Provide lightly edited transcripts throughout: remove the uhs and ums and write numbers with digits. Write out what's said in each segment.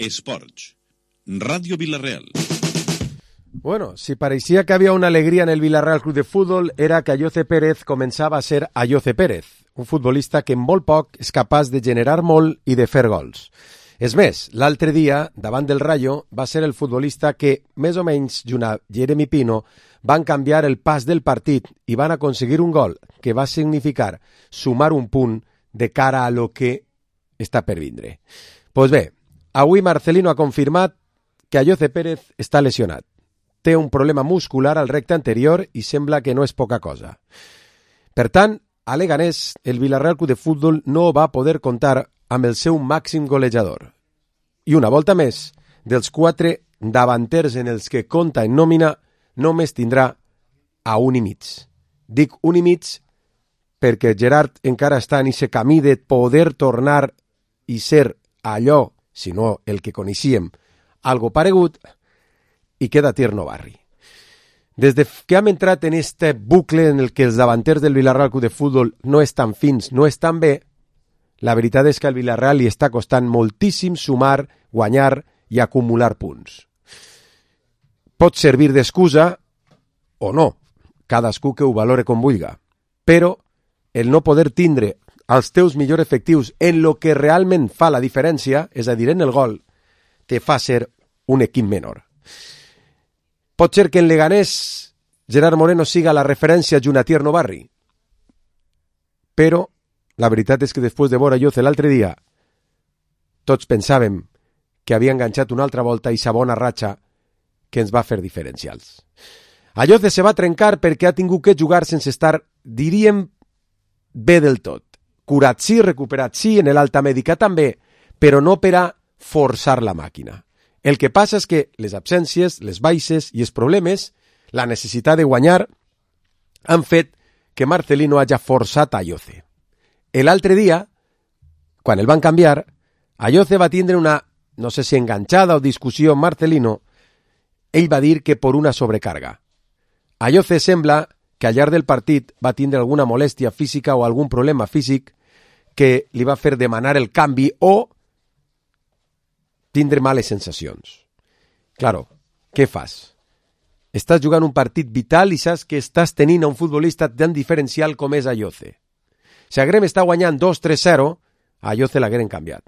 Esports. Radio Villarreal. Bueno, si parecía que había una alegría en el Villarreal Club de Fútbol, era que Ayoce Pérez començava a ser Ayoce Pérez, un futbolista que en molt poc és capaç de generar molt i de fer gols. És més, l'altre dia, davant del Rayo, va ser el futbolista que, més o menys, junt a Jeremy Pino, van canviar el pas del partit i van aconseguir un gol que va significar sumar un punt de cara a lo que està per vindre. Pues bé, avui Marcelino ha confirmat que Ayoce Pérez està lesionat. Té un problema muscular al recte anterior i sembla que no és poca cosa. Per tant, a Leganés, el Villarreal Club de Fútbol no va poder comptar amb el seu màxim golejador. I una volta més, dels 4 davanters en els que compta en nòmina, només tindrà a 1,5. Dic 1,5 perquè Gerard encara està en aquest camí de poder tornar i ser allò, si no el que coneixíem, algo paregut, i queda Tierno Barri. Des que hem entrat en este bucle en el que els davanters del Villarreal Club de Fútbol no estan fins, no estan bé, la veritat és que al Villarreal li està costant moltíssim sumar, guanyar i acumular punts. Pot servir d'excusa o no, cadascú que ho valore com vulga, però el no poder tindre els teus millors efectius en lo que realment fa la diferència, és a dir, en el gol, te fa ser un equip menor. Pot ser que en Leganés Gerard Moreno siga la referència junt a Tierno Barri, però la veritat és que després de veure Ayoce l'altre dia, tots pensàvem que havia enganxat una altra volta i sa bona ratxa que ens va fer diferencials. Ayoce se va trencar perquè ha tingut que jugar sense estar, diríem, bé del tot. Curat sí, recuperat sí, en l'alta mèdica també, però no per a forçar la màquina. El que passa és que les absències, les baixes i els problemes, la necessitat de guanyar, han fet que Marcelino hagi forçat a Ayoce. L'altre dia, quan el van canviar, Ayoce va tindre una, no sé si enganxada o discussió amb Marcelino, ell va dir que per una sobrecarga. Ayoce sembla que al llarg del partit va tindre alguna molèstia física o algun problema físic que li va fer demanar el canvi o tindre males sensacions. Claro, què fas? Estàs jugant un partit vital i saps que estàs tenint a un futbolista tan diferencial com és Ayoce. Si Agrem està guanyant 2-3-0, a Ayoce l'hagueren canviat.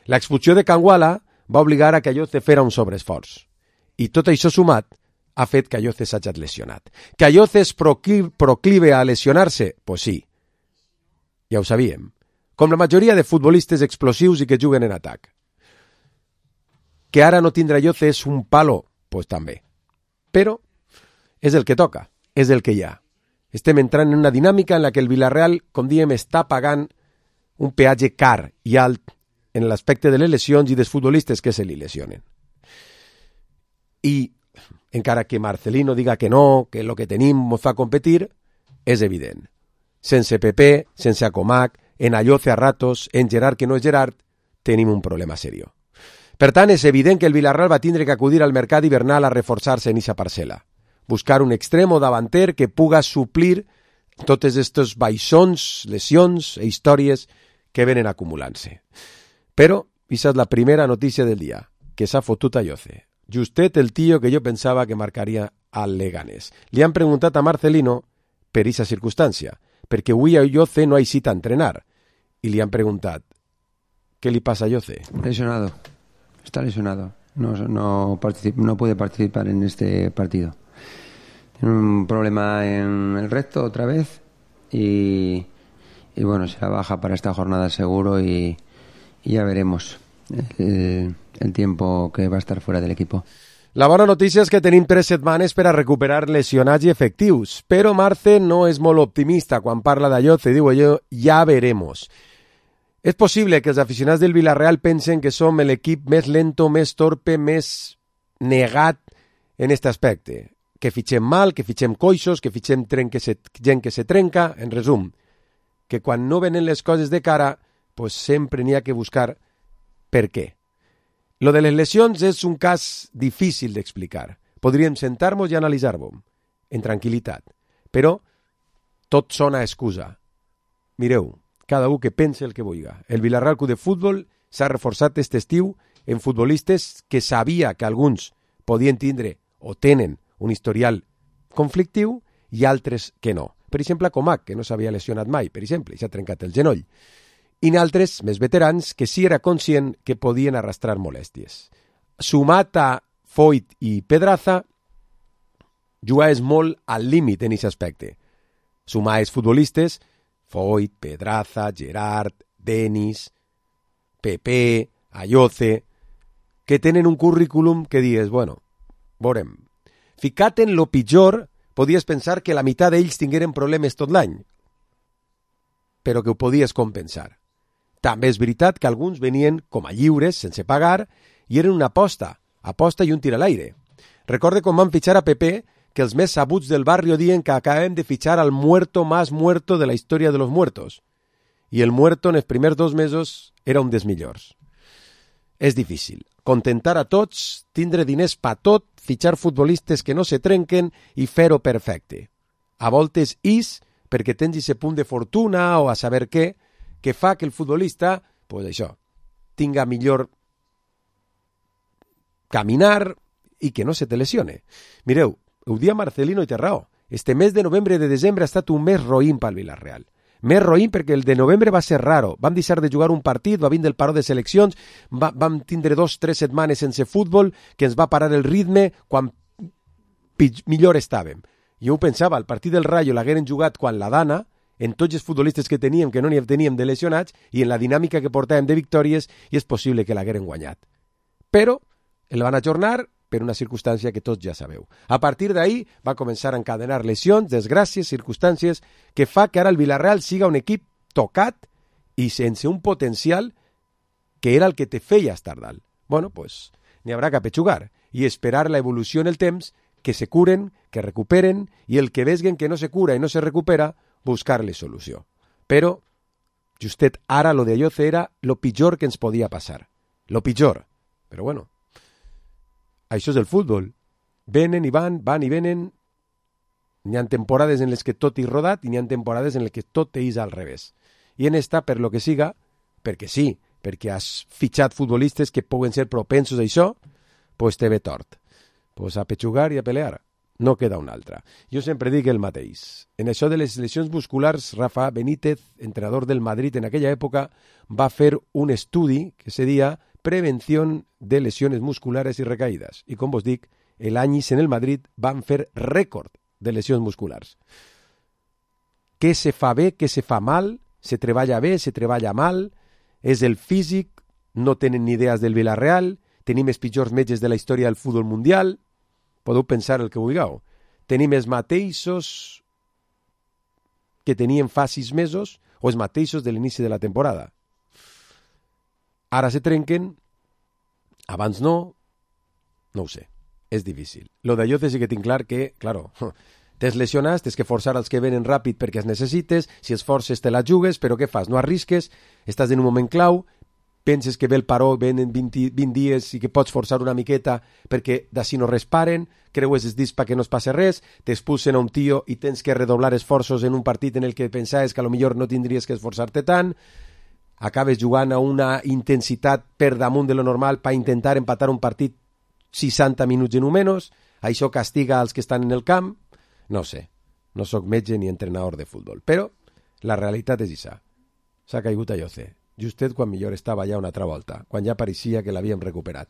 L'expulsió de Kangwala va obligar a que Ayoce fera un sobreesforç. I tot això sumat ha fet que Ayoce s'hagi lesionat. Que Ayoce és proclive a lesionar-se? Pues sí. Ja ho sabíem. Com la majoria de futbolistes explosius i que juguen en atac. Que ara no tindrà Ayoce és un palo? Pues també. Però és el que toca, és el que hi ha. Estem entrant en una dinàmica en la que el Villarreal, com diem, està pagant un peatge car i alt en l'aspecte de les lesions i dels futbolistes que se li lesionen. I encara que Marcelino diga que no, que el que tenim ens fa competir, és evident. Sense Pepe, sense Acomac, en Ayoce a ratos, en Gerard que no és Gerard, tenim un problema serio. Per tant, és evident que el Villarreal va tindre que acudir al mercat hivernal a reforçar-se en eixa parcel·la. Buscar un extremo davanter que puga suplir totes estos baixons, lesions e històries que venen acumulant-se. Però, aquesta és la primera notícia del dia, que s'ha fotut Ayoce. Justet el tio que jo pensava que marcaria al Leganés. Li han preguntat a Marcelino per aquesta circumstància, perquè avui Ayoce no ha eixit a entrenar. I li han preguntat, ¿qué le pasa a Ayoce? Lesionado. Está lesionado. No puede participar en este partido. Tiene un problema en el recto otra vez y bueno, será baja para esta jornada seguro y ya veremos el tiempo que va a estar fuera del equipo. La bona notícia és que tenim 3 setmanes per a recuperar lesionats i efectius, però Marce no és molt optimista quan parla d'Ayoce, diu allò, ja veremos. És possible que els aficionats del Villarreal pensen que som l'equip més lento, més torpe, més negat en aquest aspecte. Que fitxem mal, que fitxem coixos, que fitxem gent que se trenca, en resum. Que quan no venen les coses de cara, pues sempre n'hi ha que buscar per què. Lo de les lesions és un cas difícil d'explicar. Podríem sentar-nos i analitzar-ho en tranquil·litat. Però tot sona excusa. Mireu, cada un que pense el que vulga. El Villarreal Club de Fútbol s'ha reforçat aquest estiu en futbolistes que sabia que alguns podien tindre o tenen un historial conflictiu i altres que no. Per exemple, Comac, que no s'havia lesionat mai, per exemple, i s'ha trencat el genoll. I altres, més veterans, que sí era conscient que podien arrastrar molèsties. Sumat a Foyt i Pedraza, jugaves molt al límit en aquest aspecte. Sumaves futbolistes, Foyt, Pedraza, Gerard, Denis, Pepe, Ayoce, que tenen un currículum que dius, bueno, veurem. Ficat en lo pitjor, podies pensar que la meitat d'ells tingueren problemes tot l'any, però que ho podies compensar. També és veritat que alguns venien com a lliures, sense pagar, i eren una aposta i un tir a l'aire. Recorde quan van fitxar a Pepe, que els més sabuts del barrio diuen que acabem de fitxar al muerto más muerto de la història de los muertos. I el muerto en els primers 2 mesos era un dels millors. És difícil. Contentar a tots, tindre diners pa tot, fitxar futbolistes que no se trenquen i fer-ho perfecte. A voltes perquè tens aquest punt de fortuna o a saber què, que fa que el futbolista, pues això, tinga millor caminar i que no se te lesione. Mireu, ho dia Marcelino i té raó. Este mes de novembre de desembre ha estat un mes roïn pel Villarreal. Més roïn perquè el de novembre va ser raro. Vam deixar de jugar un partit, va vindre el paró de seleccions, vam tindre 2-3 setmanes sense futbol, que ens va parar el ritme quan millor estàvem. Jo ho pensava, el partit del Rayo l'hagueren jugat quan la Dana, en tots els futbolistes que teníem, que no n'hi teníem de lesionats, i en la dinàmica que portàvem de victòries, i és possible que l'hagueren guanyat. Però el van ajornar per una circumstància que tots ja sabeu. A partir d'ahir va començar a encadenar lesions, desgràcies, circumstàncies, que fa que ara el Villarreal siga un equip tocat i sense un potencial que era el que te feia estar dalt. Bueno, pues n'hi haurà que apetxugar i esperar la evolució en el temps, que se curen, que recuperen, i el que vesguen que no se cura i no se recupera, buscar-li solució. Però, justet ara lo de Ayoce era lo pitjor que ens podia passar. Lo pitjor. Però bueno, això és el futbol. Venen i van i venen. N'hi ha temporades en les que tot és rodat i n'hi ha temporades en les que tot és al revés. I en esta, per lo que siga, perquè sí, perquè has fitxat futbolistes que poden ser propensos a això, pues te ve tort. Pues a petxugar i a pelear. No queda una altra. Jo sempre dic el mateix. En això de les lesions musculars, Rafa Benítez, entrenador del Madrid en aquella època, va fer un estudi que se deia Prevención de lesiones musculares y recaídas. I com vos dic, l'any en el Madrid van fer rècord de lesions musculars. Què se fa bé, què se fa mal, se treballa bé, se treballa mal, és el físic, no tenen ni idees del Villarreal, tenim els pitjors metges de la història del futbol mundial, podeu pensar el que vulgueu. Tenim els mateixos que tenien fa 6 mesos o els mateixos de l'inici de la temporada. Ara se trenquen, abans no ho sé, és difícil. Lo d'Ayoce sí que tinc clar que, claro, t'es lesionat, tens que forçar els que venen ràpid perquè els necessites, si els forces te la jugues, però què fas? No arrisques, estàs en un moment clau, penses que ve el paró, venen 20 dies i que pots forçar una miqueta perquè d'ací no resparen, creues els dits perquè no es passe res, t'expulsen a un tio i tens que redoblar esforços en un partit en el que pensaves que a lo millor no tindries que esforçar-te tant, acabes jugant a una intensitat per damunt de lo normal per intentar empatar un partit 60 minuts en un menys, això castiga als que estan en el camp, no sé, no sóc metge ni entrenador de futbol, però la realitat és això, s'ha caigut Ayoce, justet quan millor estava ja una altra volta, quan ja pareixia que l'havíem recuperat.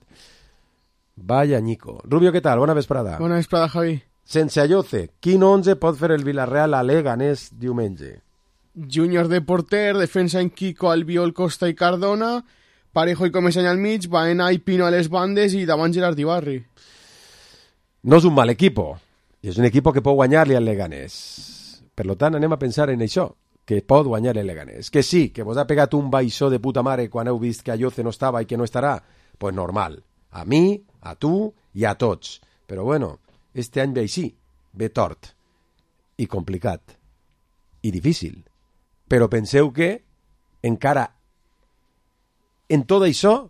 Vaya Nico. Rubio, què tal? Bona vesprada. Bona vesprada, Javi. Sense Ayoce, quin 11 pot fer el Villarreal a Leganés diumenge? Júnior de porter, defensa en Kiko, Albiol, Costa i Cardona, Parejo i Comesaña al mig, Baena i Pino a les bandes i davant Gerard Ibarri. No és un mal equipo, i és un equipo que pot guanyar-li al Leganés. Per tant, anem a pensar en això, que pot guanyar el Leganés. Que sí, que vos ha pegat un baixó de puta mare quan heu vist que Ayoce no estava i que no estarà, pues normal. A mi, a tu i a tots. Però bueno, este any ve així, ve tort, i complicat, i difícil. Però penseu que encara en tot això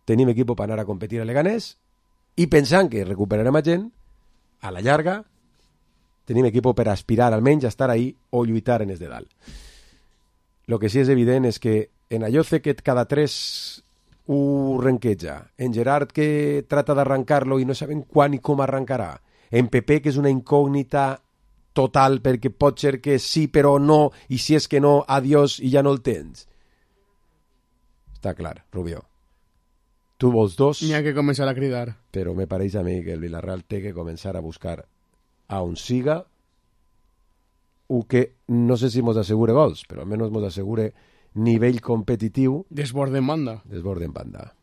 tenim equip per anar a competir a Leganés i pensant que recuperarem a gent, a la llarga tenim equip per aspirar almenys a estar ahí o lluitar en els de dalt. Lo que sí és evident és que en Ayoce que cada 3 ho renqueja. En Gerard, que trata d'arrancar-lo i no sabem quan i com arrancarà. En Pepe, que és una incògnita total, perquè pot ser que sí però no, i si és que no, adiós i ja no el tens. Està clar, Rubió. Tu vols dos, N'hi ha que començar a cridar. però me pareix a mi que el Villarreal té que començar a buscar a on siga o que no sé si mos assegure gols, però almenys mos assegure nivell competitiu Desborde en banda. desborde en banda.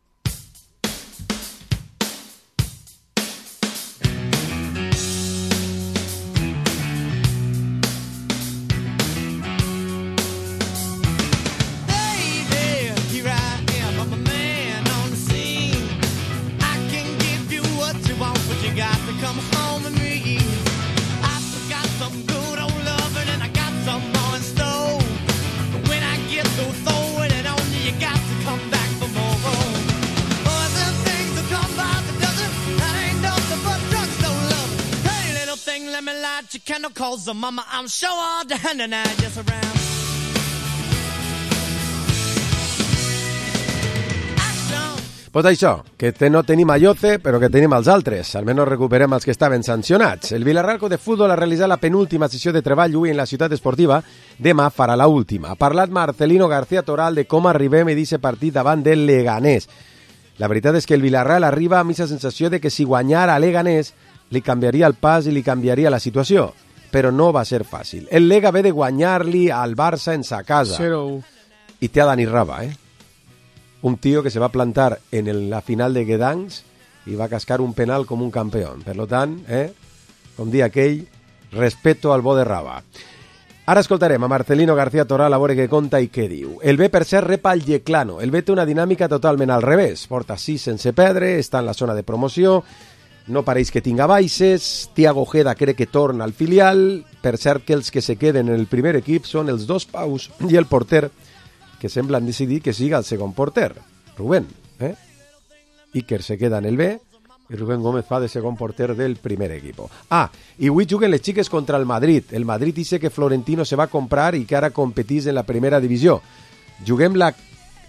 Calls of mama, I'm sure all the hand and I just around. Pues això, que no tenim a Lloce, però que tenim els altres. Almenys recuperem els que estaven sancionats. El Villarreal Club de Futbol ha realitzat la penúltima sessió de treball avui en la ciutat esportiva. Demà farà la última. Ha parlat Marcelino García Toral de com arribem a aquest partit davant del Leganés. La veritat és que el Villarreal arriba amb aquesta sensació de que si guanyara a Leganés li canviaria el pas i li canviaria la situació. Però no va ser fàcil. El Lega ve de guanyar-li al Barça en sa casa. 0-1. I té a Dani Raba, un tío que se va a plantar en la final de Gdansk i va cascar un penal com un campeón. Per tant, com dia aquell, respeto al bo de Raba. Ara escoltarem a Marcelino García Toral a veure què conta i què diu. El B, per cert, repa el Yeclano. El B té una dinàmica totalment al revés. Porta 6 sense perdre, està en la zona de promoció, no pareix que tinga baixes, Thiago Ojeda crec que torna al filial, per cert que els que se queden en el primer equip són els dos paus i el porter, que semblen decidir que siga el segon porter, Rubén. Iker se queda en el B i Rubén Gómez fa de segon porter del primer equip. I avui juguen les xiques contra el Madrid. El Madrid dice que Florentino se va a comprar i que ara competís en la primera divisió. Juguem la...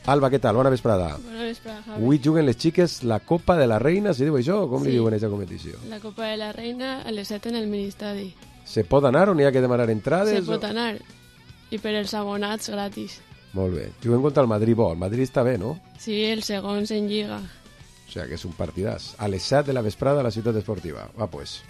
Alba, què tal? Bona vesprada. Bona vesprada, Javi. Avui juguen les xiques la Copa de la Reina, si diu això, o com li diuen a aquesta competició? La Copa de la Reina a les 7 en el Ministadi. Se pot anar o n'hi ha que demanar entrades? Se pot anar. I per els abonats gratis. Molt bé. Juguem contra el Madrid bo. El Madrid està bé, no? Sí, el segon en Lliga. O sea, que és un partidàs. A les 7 de la vesprada a la ciutat esportiva. Va, pues.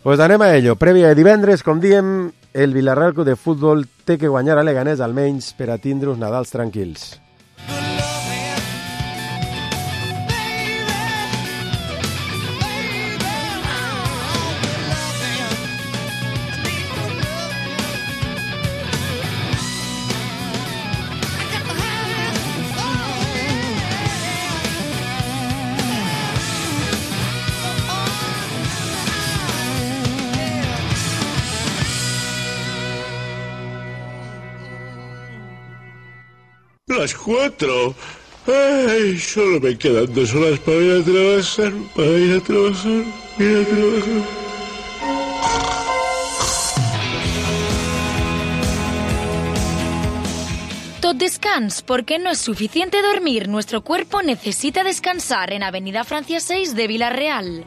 Pues anem a ello. Prèvia de divendres, com diem, el Villarreal Club de Futbol té que guanyar a Leganés almenys per a tindre uns Nadals tranquils. Las 4. Ay, solo me quedan 2 horas para ir a trabajar. Tot descans, porque no es suficiente dormir. Nuestro cuerpo necesita descansar en Avenida Francia 6 de Villarreal.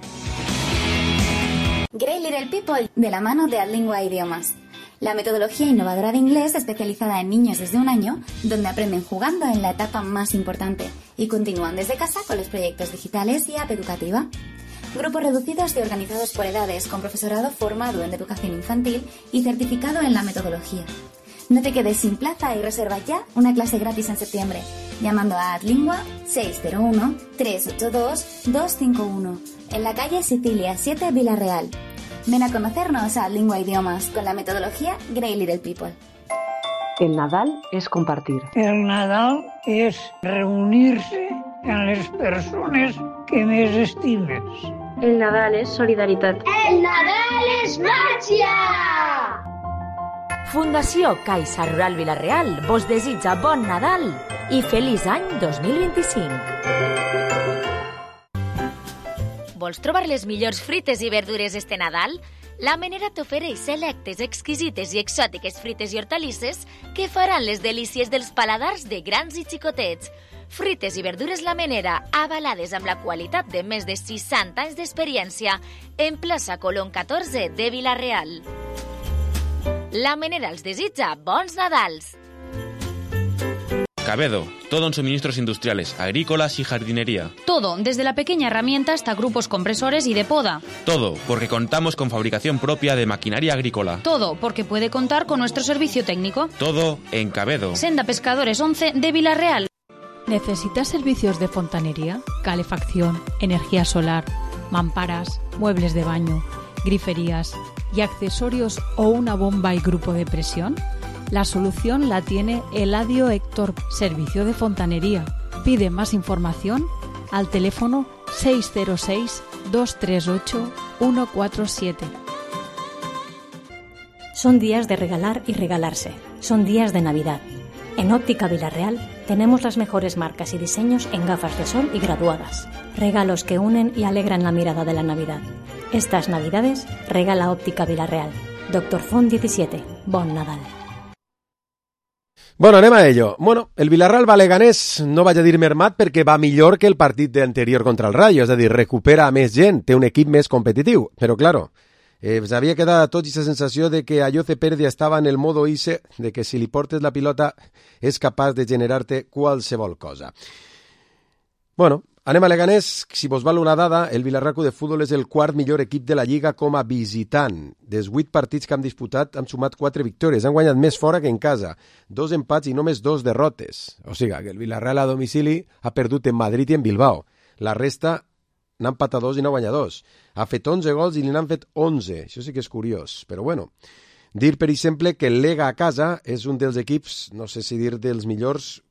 Great Little People, de la mano de Adlingua Idiomas. La metodología innovadora de inglés especializada en niños desde 1 año, donde aprenden jugando en la etapa más importante y continúan desde casa con los proyectos digitales y app educativa. Grupos reducidos y organizados por edades, con profesorado formado en educación infantil y certificado en la metodología. No te quedes sin plaza y reserva ya una clase gratis en septiembre, llamando a Adlingua 601-382-251, en la calle Sicilia 7, Villarreal. Ven a conocernos a Lingua Idiomas con la metodología Great Little People. El Nadal es compartir. El Nadal es reunirse amb les persones que més estimes. El Nadal és solidaritat. El Nadal és màgia! Fundació Caixa Rural Villarreal vos desitja bon Nadal i feliç any 2025. Vols trobar les millors frites i verdures este Nadal? La Menera t'ofereix selectes, exquisites i exòtiques frites i hortalisses que faran les delícies dels paladars de grans i xicotets. Frites i verdures La Menera, avalades amb la qualitat de més de 60 anys d'experiència, en plaça Colón 14 de Vila-real. La Menera els desitja bons Nadals. Cabedo, todo en suministros industriales, agrícolas y jardinería. Todo, desde la pequeña herramienta hasta grupos compresores y de poda. Todo, porque contamos con fabricación propia de maquinaria agrícola. Todo, porque puede contar con nuestro servicio técnico. Todo en Cabedo. Senda Pescadores 11 de Vila-real. ¿Necesitas servicios de fontanería, calefacción, energía solar, mamparas, muebles de baño, griferías y accesorios o una bomba y grupo de presión? La solución la tiene Eladio Héctor, Servicio de Fontanería. Pide más información al teléfono 606-238-147. Son días de regalar y regalarse. Son días de Navidad. En Óptica Vila-real tenemos las mejores marcas y diseños en gafas de sol y graduadas. Regalos que unen y alegran la mirada de la Navidad. Estas Navidades regala Óptica Vila-real. Dr. Font 17. Bon Nadal. Bueno, anem a ello. Bueno, el Villarreal va Leganés, no vaig a dir mermat perquè va millor que el partit anterior contra el Rayo, és a dir, recupera més gent, té un equip més competitiu. Però, claro, s'havia quedat a tots aquesta sensació de que Ayoce Pérez ja estava en el modo ICE, de que si li portes la pilota és capaç de generar-te qualsevol cosa. Bueno, anem a Leganés. Si vos val una dada, el Villarreal Club de Futbol és el quart millor equip de la Lliga com a visitant. Dels 8 partits que han disputat, han sumat 4 victòries. Han guanyat més fora que en casa. 2 empats i només 2 derrotes. O sigui, que el Villarreal a domicili ha perdut en Madrid i en Bilbao. La resta n'ha empatat 2 i n'ha guanyat 2. Ha fet 11 gols i n'han fet 11. Això sí que és curiós. Però bueno, dir, per exemple, que el Lega a casa és un dels equips, no sé si dir dels millors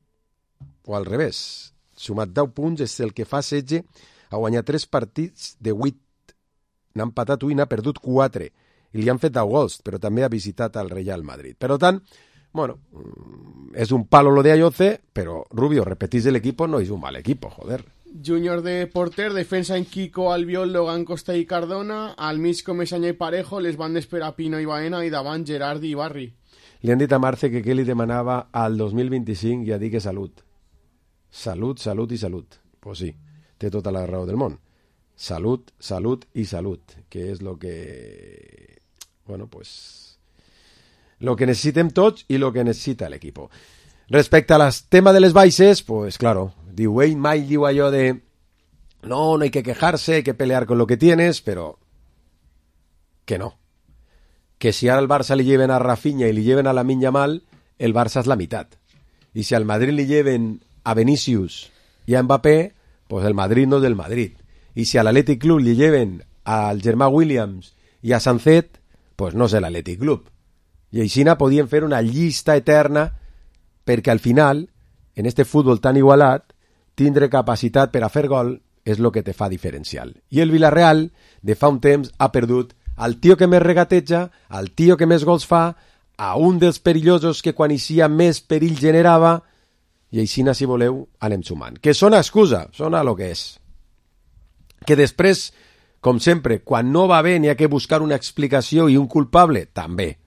o al revés. Sumat 10 punts, és el que fa 16, ha guanyat 3 partits de 8. N'ha empatat 1 i n'ha perdut 4. I li han fet 10 gols, però també ha visitat el Real Madrid. Per tant, bueno, és un palo lo de Ayoce, però Rubio, repetís el equipo, no és un mal equipo, joder. Júnior de porter, defensa en Kiko, Albiol, Logan, Costa i Cardona, al mig Comesaña i Parejo, les bandes per a Pino i Baena i davant Gerard i Barri. Li han dit a Marce que què li demanava al 2025 i ha dit que salut. Salut, salut i salut. Pues sí, té tota la raó del món. Salut, salut i salut, que és lo que... Bueno, pues... Lo que necessitem tots i lo que necessita l'equip. Respecte al tema de les baixes, pues claro, diu, ell mai diu allò de no hay que quejarse, hay que pelear con lo que tienes, però que no. Que si ara al Barça li lleven a Rafinha i li lleven a Lamine Yamal, el Barça és la meitat. I si al Madrid li lleven a Vinicius y a Mbappé, pues el Madrid no es del Madrid. Y si al Athletic Club le lleven al Germà Williams y a Sancet, pues no és el Athletic Club. I així podien fer una llista eterna perquè al final, en este futbol tan igualat, tindre capacitat per a fer gol és el que te fa diferencial. I el Villarreal, de fa un temps, ha perdut al tio que més regateja, al tio que més gols fa, a un dels perillosos que quan eixia més perill generava, i així, si voleu, anem sumant. Que sona excusa, sona lo que és. Que després, com sempre, quan no va bé n'hi ha que buscar una explicació i un culpable, també.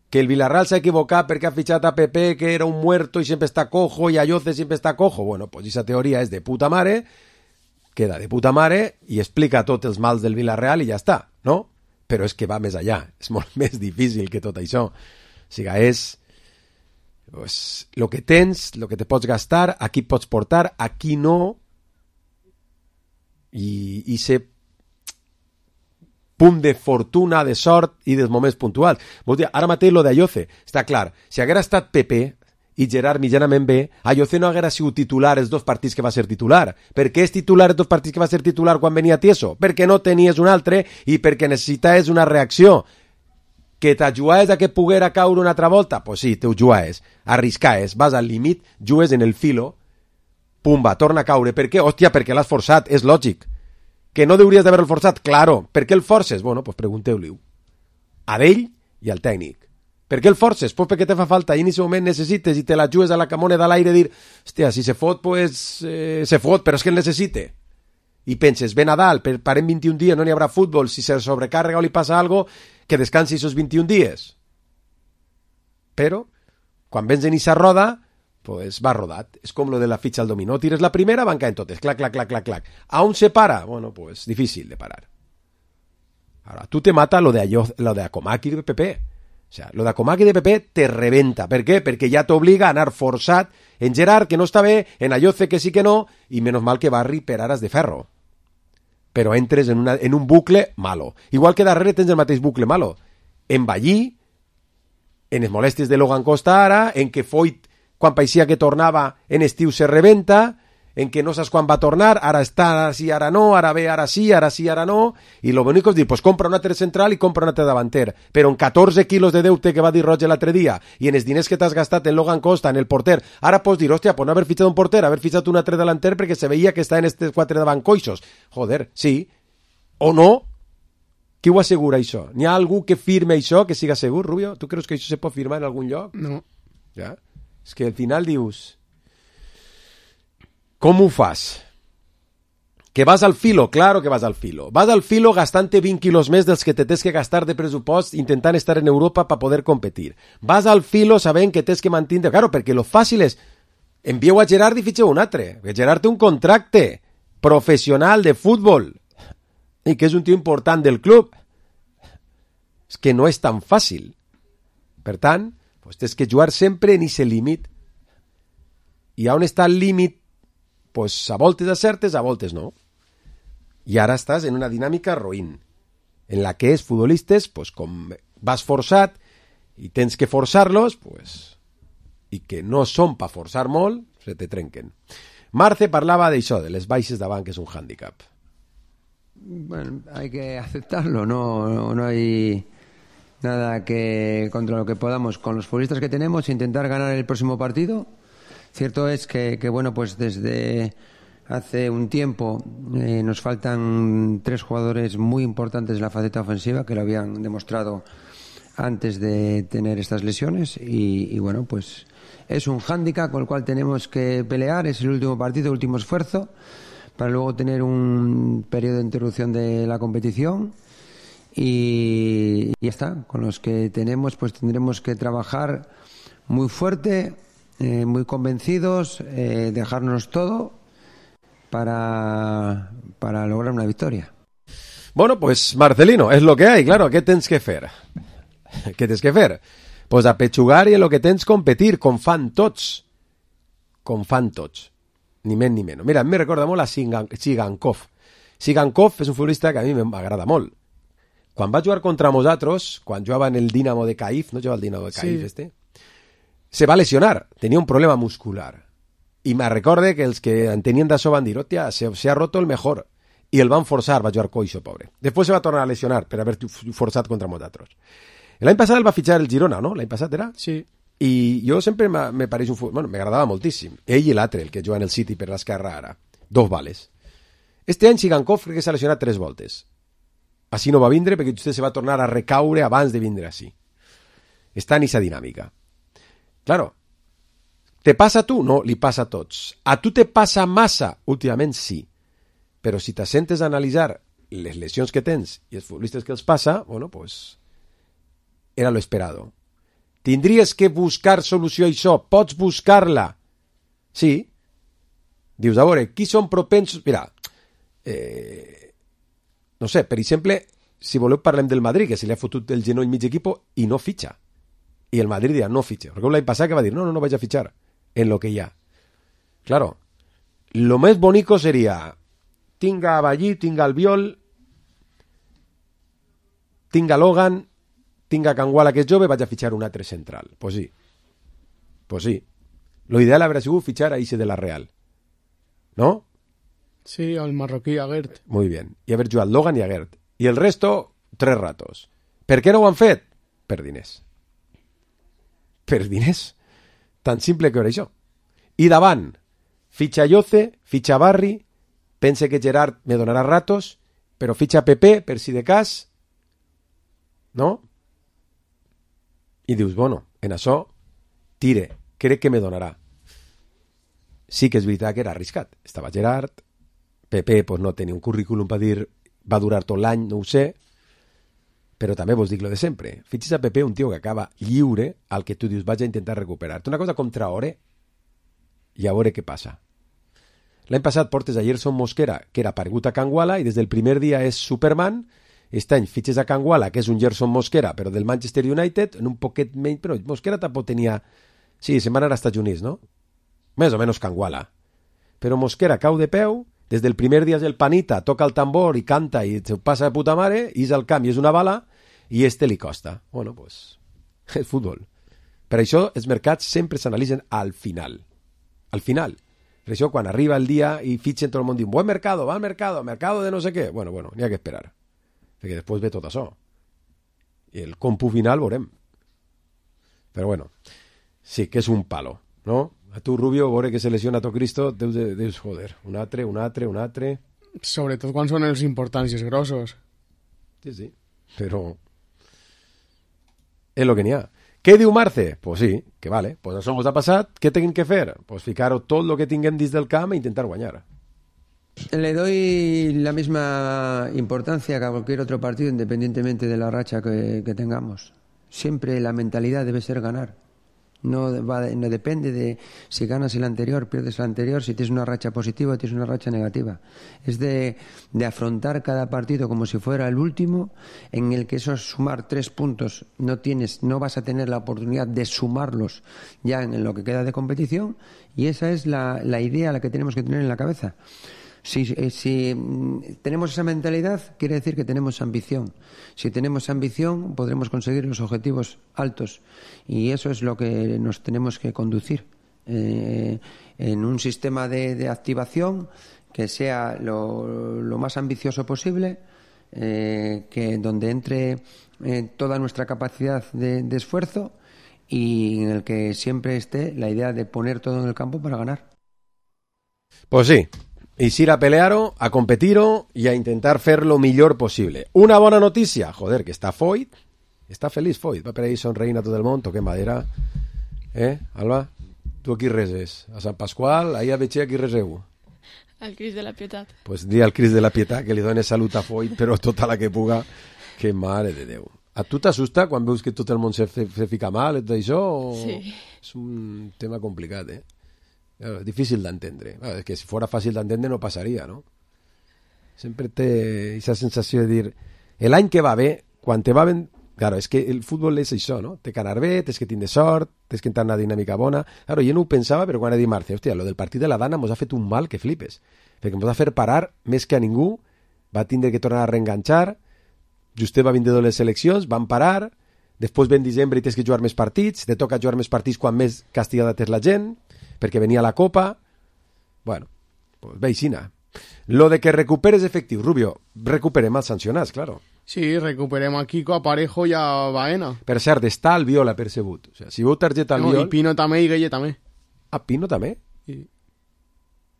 Que el Villarreal s'ha equivocat perquè ha fitxat a Pepe, que era un muerto i sempre està cojo, i Ayoce sempre està cojo. Bueno, pues esa teoria és de puta mare, queda de puta mare i explica tots els mals del Villarreal i ja està, no? Però és que va més allà, és molt més difícil que tot això. O sigui, és... Pues, lo que tens, lo que te pots gastar, aquí pots portar, aquí no, i ser punt de fortuna, de sort i dels moments puntuals. Vols dir, ara mateix lo d'Ayoce, està clar, si haguera estat Pepe i Gerard mitjanament bé, Ayoce no haguera sigut titular els 2 partits que va ser titular. Per què és titular els 2 partits que va ser titular quan venia Tieso? Perquè no tenies un altre i perquè necessitaves una reacció. Que t'ajuaes a que poguera caure una altra volta? Pues sí, te ho juaes, arriscaes, vas al límit, jugues en el filo, pumba, torna a caure. Per què? Hòstia, perquè l'has forçat, és lògic. Que no hauries d'haver-lo forçat? Claro. Per què el forces? Bueno, pues pregunteu-li-ho. A ell i al tècnic. Per què el forces? Pues perquè te fa falta i en aquest moment necessites i te la jugues a la camone de l'aire dir, hòstia, si se fot, pues se fot, però és que el necessite. i penses, ve Nadal, parem 21 dies, no n'hi haurà futbol, si se sobrecarrega o li passa algo, que descansi esos 21 dies. Però, quan vens en esa roda, pues va rodat. És com lo de la fitxa al dominó. Tires la primera, van caent totes. Clac, clac, clac, clac, clac. ¿Aún se para? Bueno, pues difícil de parar. Ahora, tú te mata lo de Akomaki de PP. O sea, lo de Akomaki de PP te rebenta. ¿Per què? Perquè ja t'obliga a anar forçat en Gerard, que no està bé, en Ayoce, que sí que no, i menos mal que Barri per aras de ferro. Però entres en un bucle malo. Igual que darrere tens el mateix bucle malo. En Ballí, en les molèsties de Logan Costa ara, en què Foyt, quan paeixia que tornava en estiu, se rebenta, en què no saps quan va tornar, ara està, ara sí, ara no, ara ve, ara sí, ara no, i lo bonic és dir, pues compra un altre central i compra un altre davanter, però en 14 quilos de deute que va dir Roger l'altre dia, i en els diners que t'has gastat en Logan Costa, en el porter, ara pots dir, hòstia, pues no haver fitxat un porter, haver fitxat un altre davanter perquè se veia que està en estes 4 davancoixos. Joder, sí, o no? Qui ho assegura, això? N'hi ha algú que firme això, que siga segur, Rubio? Tu creus que això se pot firmar en algun lloc? No. Ja? És que al final dius... Com ho fas? Que vas al filo? Claro que vas al filo. Vas al filo gastant-te 20 quilos més dels que te tens que gastar de pressupost intentant estar en Europa per poder competir. Vas al filo sabent que tens que mantenir... Claro, perquè lo fàcil és... Envieu a Gerard i fitxeu un altre. Gerard té un contracte professional de futbol i que és un tio important del club. És que no és tan fàcil. Per tant, pues tens que jugar sempre en ese límit. I on està el límit? Pues a voltes acertes, a voltes no. I ara estàs en una dinàmica roïn, en la que els futbolistes, pues com vas forçat i tens que forçar-los, pues, i que no són per forçar molt, se te trenquen. Marce parlava d'això, de les baixes davant, que és un hàndicap. Bueno, hay que aceptarlo, no hay nada que contra lo que podamos con los futbolistas que tenemos intentar ganar el próximo partido. Cierto es que bueno, pues desde hace un tiempo nos faltan 3 jugadores muy importantes en la faceta ofensiva que lo habían demostrado antes de tener estas lesiones y bueno, pues es un hándicap con el cual tenemos que pelear, es el último partido, el último esfuerzo para luego tener un periodo de interrupción de la competición y ya está, con los que tenemos pues tendremos que trabajar muy fuerte, muy convencidos, dejarnos todo para lograr una victoria. Bueno, pues Marcelino, es lo que hay, claro, ¿qué tens que fer? Què tens que fer? Pues apechugar i en lo que tens competir, com fan tots. Ni menys ni menys. Mira, em recorda molt a Sigankov. Sigankov és un futbolista que a mi m'agrada molt. Quan va jugar contra nosaltres, quan jugava en el Dinamo de Kyiv, no jugava el Dinamo de Kyiv, sí. Se va lesionar, tenia un problema muscular. I me recorde que els que en tenien d'això van dir, hòstia, se ha roto el mejor. I el van forçar, va jugar coixo, pobre. Després se va tornar a lesionar per haver forçat contra nosaltres. L'any passat el va fitxar el Girona, no? L'any passat era? Sí. I jo sempre me pareix un futbol... Bueno, m'agradava moltíssim. Ell i l'altre, el que juga en el City per l'esquerra ara. 2 vales. Este any Sigankov crec que s'ha lesionat 3 voltes. Així no va vindre perquè vostè se va tornar a recaure abans de vindre així. Està en aquesta dinàmica. Claro, ¿te pasa a tu? No, li passa a tots. A tu te passa massa? Últimament sí. Però si t'assentes a analitzar les lesions que tens i els futbolistes que els passa, bueno, pues era lo esperado. Tindries que buscar solució a això. Pots buscar-la. Sí. Dius, a veure, qui són propensos... Mira, no sé, per exemple, si voleu parlem del Madrid, que se li ha fotut el genoll mig equip i no fitxa. I el Madrid dirà, no fitxa. Perquè l'any passat que va dir, no vaig a fitxar en lo que hi ha. Claro, lo més bonico seria tinga a Ballí, tinga Albiol, tinga Logan, tinga Canguala, que és jove, vaig a fitxar un altre central. Pues sí. Lo ideal hauria sigut fitxar a Ise de la Real. ¿No? Sí, al marroquí Aguert. Muy bien. I haver jugat Logan i Aguert. I el resto, 3 ratos. Per què no ho han fet? Per diners. Per diners. Tan simple que era això. I davant, fitxa Ayoce, fitxa Barri, pense que Gerard me donarà ratos, però fitxa Pepe, per si de cas, no? I dius, bueno, en això tire, crec que me donarà. Sí que és veritat que era arriscat. Estava Gerard, Pepe pues, no tenia un currículum per dir va durar tot l'any, no ho sé, però també vos dic lo de sempre. Fitxes a Pepe un tio que acaba lliure al que tu dius vaig a intentar recuperar-te. Una cosa com Traoré i a veure què passa. L'any passat portes a Gerson Mosquera, que era paregut a Kangwala, i des del primer dia és Superman. Aquest any fitxes a Kangwala, que és un Gerson Mosquera, però del Manchester United, en un poquet menys, però Mosquera tampoc tenia... Sí, se'n van anar als Estats Units, no? Més o menys Kangwala. Però Mosquera cau de peu, des del primer dia és el panita, toca el tambor i canta i se passa de puta mare, i és al camp i és una bala, i li costa. Bueno, pues, és futbol. Per això els mercats sempre s'analitzen al final. Al final. Per això quan arriba el dia i fitxen tot el món diu buen mercado, va al mercado de no sé què. Bueno, n'hi ha que esperar. Perquè després ve tot això. I el compu final veurem. Però bueno, sí que és un palo, no? A tu, Rubio, veure que se lesiona tot Cristo, deus joder. Un altre. Sobretot quan són els importants i els grossos. Sí, però és el que n'hi ha. Què diu Marce? Pues sí, que vale, pues això ens ha passat, què tenim que fer? Pues ficar-ho tot el que tinguem dins del camp e intentar guanyar. Le doy la misma importancia que a cualquier otro partido, independientemente de la racha que tengamos. Siempre la mentalidad debe ser ganar. No depende de si ganas el anterior, pierdes el anterior, si tienes una racha positiva o tienes una racha negativa. Es de afrontar cada partido como si fuera el último, en el que esos sumar 3 puntos no vas a tener la oportunidad de sumarlos ya en lo que queda de competición, y esa es la idea la que tenemos que tener en la cabeza. Si tenemos esa mentalidad, quiere decir que tenemos ambición. Si tenemos ambición, podremos conseguir los objetivos altos. Y eso es lo que nos tenemos que conducir. En un sistema de activación que sea lo más ambicioso posible, que donde entre toda nuestra capacidad de esfuerzo, y en el que siempre esté la idea de poner todo en el campo para ganar. Pues sí. I ir a pelear-ho, a competir-ho i a intentar fer lo millor possible. Una bona notícia, joder, que està Foyt, està feliç Foyt, va per ahí sonreint a tot el món, toquem madera. Alba, tu a qui reses? A Sant Pasqual? Ahir a Betxer a qui reseu? Al Crist de la Pietat. Pues di al Crist de la Pietat que li doni salut a Foyt, però tota la que puga, que mare de Déu. A tu t'assusta quan veus que tot el món se fica mal, tot això? Sí. És un tema complicat, Claro, es difícil d'entendre. Claro, es que si fuera fàcil d'entendre no passaria, no? Sempre té aquesta sensació de dir l'any que va bé, quan te va ben... Claro, és que el futbol és això, no? Té que anar bé, tens que tindre sort, tens que entrar en una dinàmica bona. Claro, jo no ho pensava, però quan he dit Marce, hòstia, lo del partit de la Dana mos ha fet un mal que flipes, perquè mos va fer parar més que a ningú, va tindre que tornar a reenganxar, Justet va vindre de les seleccions, van parar, després ven diciembre i tens que jugar més partits, te toca jugar més partits quan més castigada tens la gent, perquè venia la Copa. Bueno, pues veixina. Lo de que recuperes efectius, Rubio, recuperem els sancionats, claro. Sí, recuperem a Kiko, a Parejo i a Baena. Per cert, està Albiol apercebut. O sea, si veu targeta Albiol... I Pino també i Gueye també. Ah, Pino també? Sí.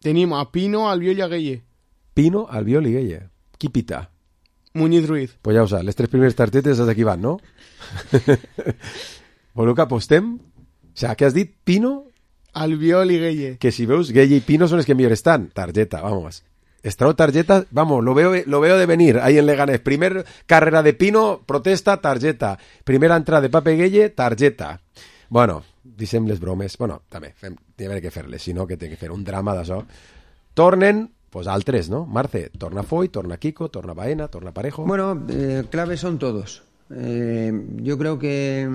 Tenim a Pino, Albiol i a Gueye. Pino, Albiol i Gueye. Qui pita? Muñiz Ruiz. Pues ja ho saps, les 3 primeres targetes d'aquí van, no? Voleu que apostem? O sea, què has dit? Pino... Albiol y Gueye. Que si veus, Gueye y Pino son los que mejor están. Tarjeta, vamos. Estrao tarjeta, vamos, lo veo de venir ahí en Leganés. Primer carrera de Pino, protesta, tarjeta. Primera entrada de Pape Gueye, tarjeta. Bueno, dicem les bromes. Bueno, també, n'hi ha que fer-les, si no, que té que fer un drama d'això. Tornen, pues altres, ¿no? Marce, torna Foyt, torna Kiko, torna Baena, torna Parejo. Bueno, claves son todos. Yo creo que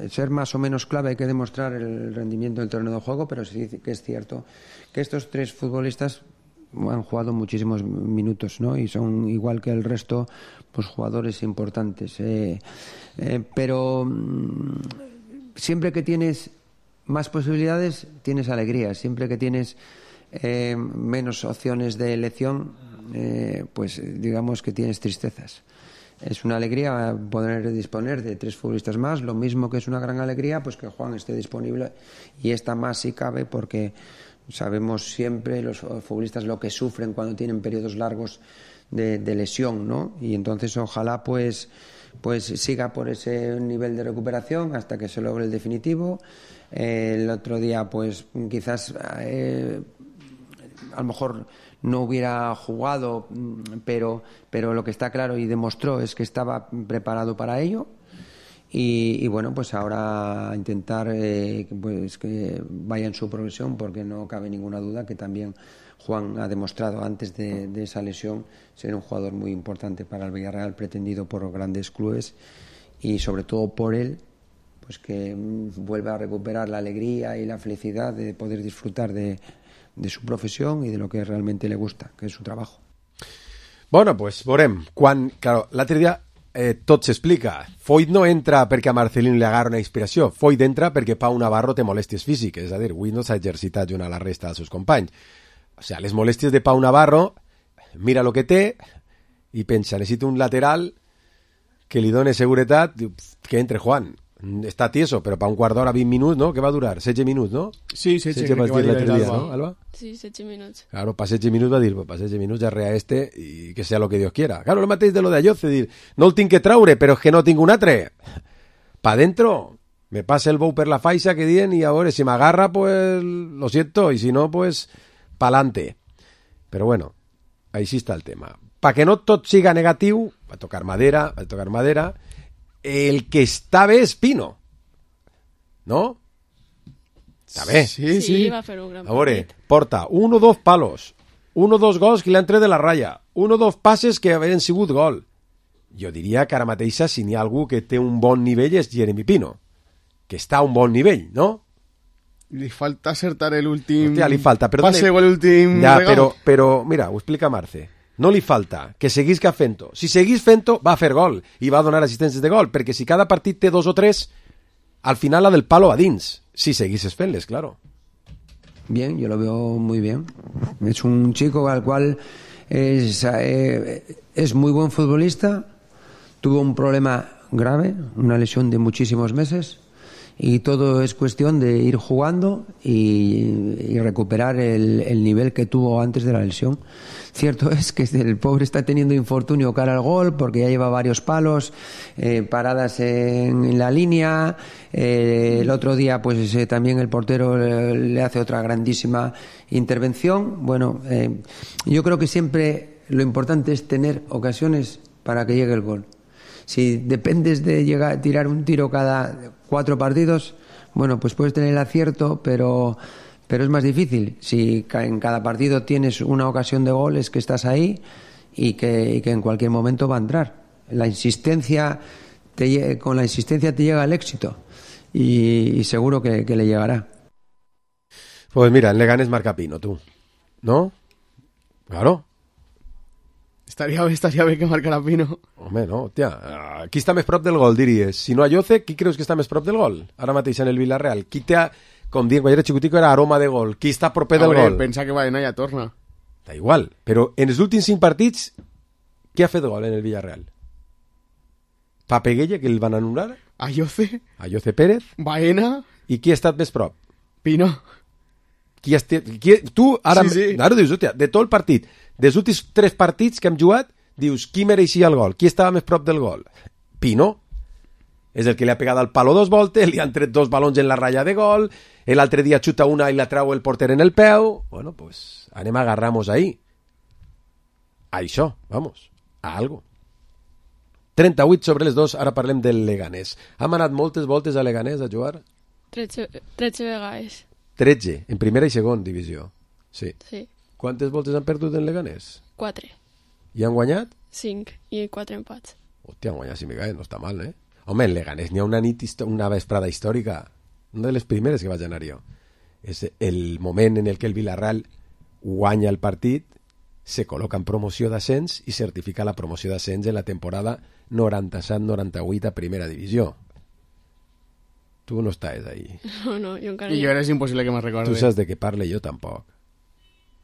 ser más o menos clave hay que demostrar el rendimiento del terreno de juego, pero sí que es cierto que estos 3 futbolistas han jugado muchísimos minutos, ¿no? Y son igual que el resto, pues jugadores importantes. Pero siempre que tienes más posibilidades, tienes alegría. Siempre que tienes menos opciones de elección, pues digamos que tienes tristezas. Es una alegría poder disponer de 3 futbolistas más, lo mismo que es una gran alegría pues que Juan esté disponible, y esta más si cabe, porque sabemos siempre los futbolistas lo que sufren cuando tienen periodos largos de lesión, ¿no? Y entonces ojalá pues siga por ese nivel de recuperación hasta que se logre el definitivo. El otro día pues quizás a lo mejor no hubiera jugado, pero lo que está claro y demostró es que estaba preparado para ello. Y bueno, pues ahora intentar pues que vaya en su progresión, porque no cabe ninguna duda que también Juan ha demostrado antes de esa lesión ser un jugador muy importante para el Villarreal, pretendido por grandes clubes, y sobre todo por él, pues que vuelva a recuperar la alegría y la felicidad de poder disfrutar de su profesión y de lo que realmente le gusta, que es su trabajo. Bueno, pues veurem. Claro, l'altre dia tot s'explica. Foyt no entra perquè a Marcelino li agarra una inspiració. Foyt entra perquè Pau Navarro té molèsties físiques, és a dir, avui no s'ha exercitat junt a la resta dels seus companys. O sigui, les molèsties de Pau Navarro, mira lo que té i pensa, necessito un lateral que li doni seguretat, diu, que entre Juan. Està tieso, però per un quart d'hora, 20 minuts, no? Què va durar? 16 minuts, no? Sí, 16 crec que va dir l'altre dia, ¿no, Alba? Sí, 16 minuts. Claro, para 16 minuts va dir, para 16 minuts ja rea i que sea lo que Dios quiera. Claro, el mateix de lo de Ayoce, dir, no el tinc que traure, però és que no tinc un altre. Pa dentro, me passa el bou per la faixa que dient i a veure, si m'agarra, pues lo siento, i si no, pues pa'lante. Però bueno, així està el tema. Pa que no tot siga negatiu, va tocar madera, el que està bé és Pino, no? Està bé. Sí, va fer un gran partit. A veure, partit. porta 1 o 2 palos, 1 o 2 gols que l'han tret de la ratlla, 1 o 2 passes que havien sigut gol. Jo diria que ara mateixa, si n'hi ha algú que té un bon nivell, és Jeremy Pino, que està a un bon nivell, no? Li falta acertar l'últim... Hòstia, li falta, però... Pase o l'últim... Ja, però, mira, ho explica Marce. No li falta que seguisca fent-ho. Si seguís fent-ho, va a fer gol i va a donar assistències de gol, perquè si cada partit té 2 o 3, al final la del palo va dins. Si seguisses fent-les, claro. Bien, yo lo veo muy bien. Es un chico al cual es muy buen futbolista. Tuvo un problema grave, una lesión de muchísimos meses, y todo es cuestión de ir jugando y recuperar el nivel que tuvo antes de la lesión. Cierto es que el pobre está teniendo infortunio cara al gol, porque ya lleva varios palos, paradas en la línea. El otro día pues también el portero le hace otra grandísima intervención. Bueno, yo creo que siempre lo importante es tener ocasiones para que llegue el gol. Si dependes de tirar un tiro cada 4 partidos, bueno, pues puedes tener el acierto, pero es más difícil. Si en cada partido tienes una ocasión de gol, es que estás ahí y que en cualquier momento va a entrar. Con la insistencia te llega el éxito y seguro que le llegará. Pues mira, en Leganés marca Pino, tú. ¿No? Claro. Estaria bé que marcara Pino. Home, no, tia. Qui està més prop del gol, diries? Si no Ayoce, qui creus que està més prop del gol? Ara mateix en el Villarreal. Qui té, com dient, quan era xicutico, era aroma de gol. Qui està proper del gol? Pensa que Baena ja torna. Da igual, però en els últims 5 partits, qui ha fet gol en el Villarreal? Papeguella, que el van anul·lar? Ayoce Pérez? Baena? I qui ha estat més prop? Pino. Tu ara, sí. Ara dius, hòstia, de tot el partit, dels últims 3 partits que hem jugat, dius, qui mereixia el gol? Qui estava més prop del gol? Pino. És el que li ha pegat al palo 2 voltes, li han tret 2 balons en la ratlla de gol, l'altre dia xuta una i la trau el porter en el peu. Bueno, pues anem a agarramos ahí. A això, vamos, a algo. 38 sobre les 2, ara parlem del Leganés. Hem anat moltes voltes a Leganés a jugar? 13 vegades. 13, en primera i segona divisió. Sí. Quantes voltes han perdut en Leganés? 4. I han guanyat? 5 i 4 empats. Hòstia, han guanyat 5 vegades, no està mal, eh? Home, en Leganés n'hi ha una vesprada històrica, una de les primeres que vaig anar jo. És el moment en el que el Villarreal guanya el partit, se col·loca en promoció d'ascens i certifica la promoció d'ascens en la temporada 97-98 a primera divisió. Tu no estàs ahí. No, jo encara... I jo és impossible que me'n recorde. Tu saps de què parle, jo tampoc.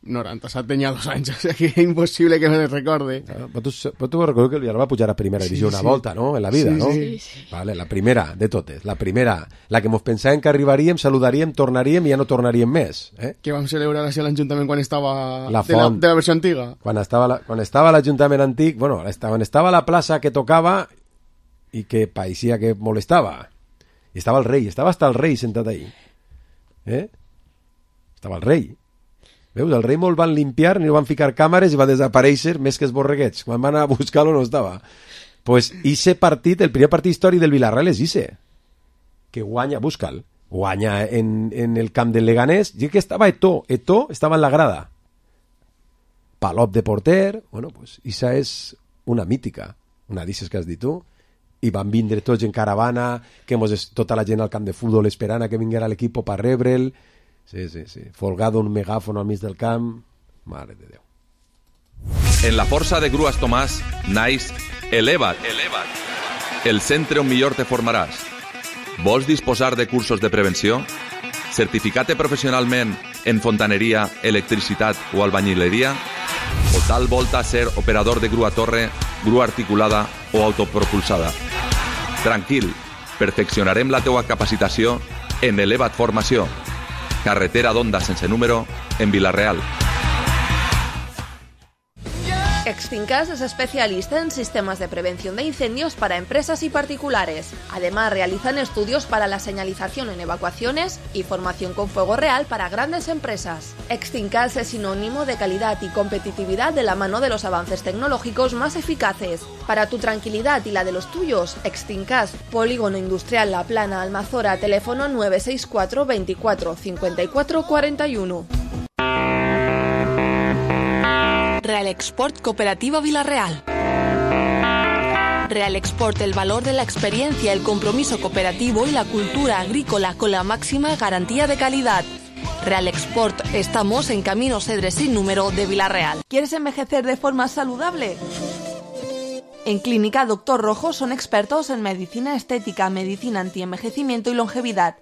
97 tenia 2 anys, o sigui que és impossible que me'n recorde. Però tu recordo que el Villarreal va pujar a primera divisió una volta, no?, en la vida, no? Sí. Vale, la primera de totes, la primera, la que mos pensàvem que arribaríem, saludaríem, tornaríem i ja no tornaríem més. Que vam celebrar així a l'Ajuntament quan estava la font, de la versió antiga. Quan estava l'Ajuntament antic, bueno, quan estava la plaça que tocava i que pareixia que molestava. I estava el rei, estava hasta el rei sentat ahí. Estava el rei. Veus, el Reimo el van limpiar, ni el van ficar càmeres i va desaparèixer més que els borreguets. Quan van anar a buscar-lo no estava. Pues ese partit, el primer partit històric del Villarreal és ese. Que guanya, busca'l, guanya en el camp del Leganés. I que estava Eto'o estava en la grada. Palop de porter, bueno, pues esa és una mítica, una d'ixes que has dit tu. I van vindre tots en caravana, que tota la gent al camp de futbol esperant a que vinguera l'equip per rebre'l. Sí. Folgado un megàfon al mig del camp. Mare de Déu. En la força de Grues Tomàs naix Eleva't. El centre on millor te formaràs. Vols disposar de cursos de prevenció? Certificat professionalment en fontaneria, electricitat o albañileria? O tal volta ser operador de grua torre, grua articulada o autopropulsada? Tranquil, perfeccionarem la teua capacitació en Eleva't Formació. Carretera d'Onda sense número, en Vila-real. Extincas es especialista en sistemas de prevención de incendios para empresas y particulares. Además, realizan estudios para la señalización en evacuaciones y formación con fuego real para grandes empresas. Extincas es sinónimo de calidad y competitividad de la mano de los avances tecnológicos más eficaces. Para tu tranquilidad y la de los tuyos, Extincas, Polígono Industrial La Plana, Almazora, teléfono 964 24 54 41. Real Export Cooperativa Vila-real. Real Export, el valor de la experiencia, el compromiso cooperativo y la cultura agrícola con la máxima garantía de calidad. Real Export, estamos en Camino Cedres sin número de Vila-real. ¿Quieres envejecer de forma saludable? En Clínica Dr. Rojo son expertos en medicina estética, medicina antienvejecimiento y longevidad.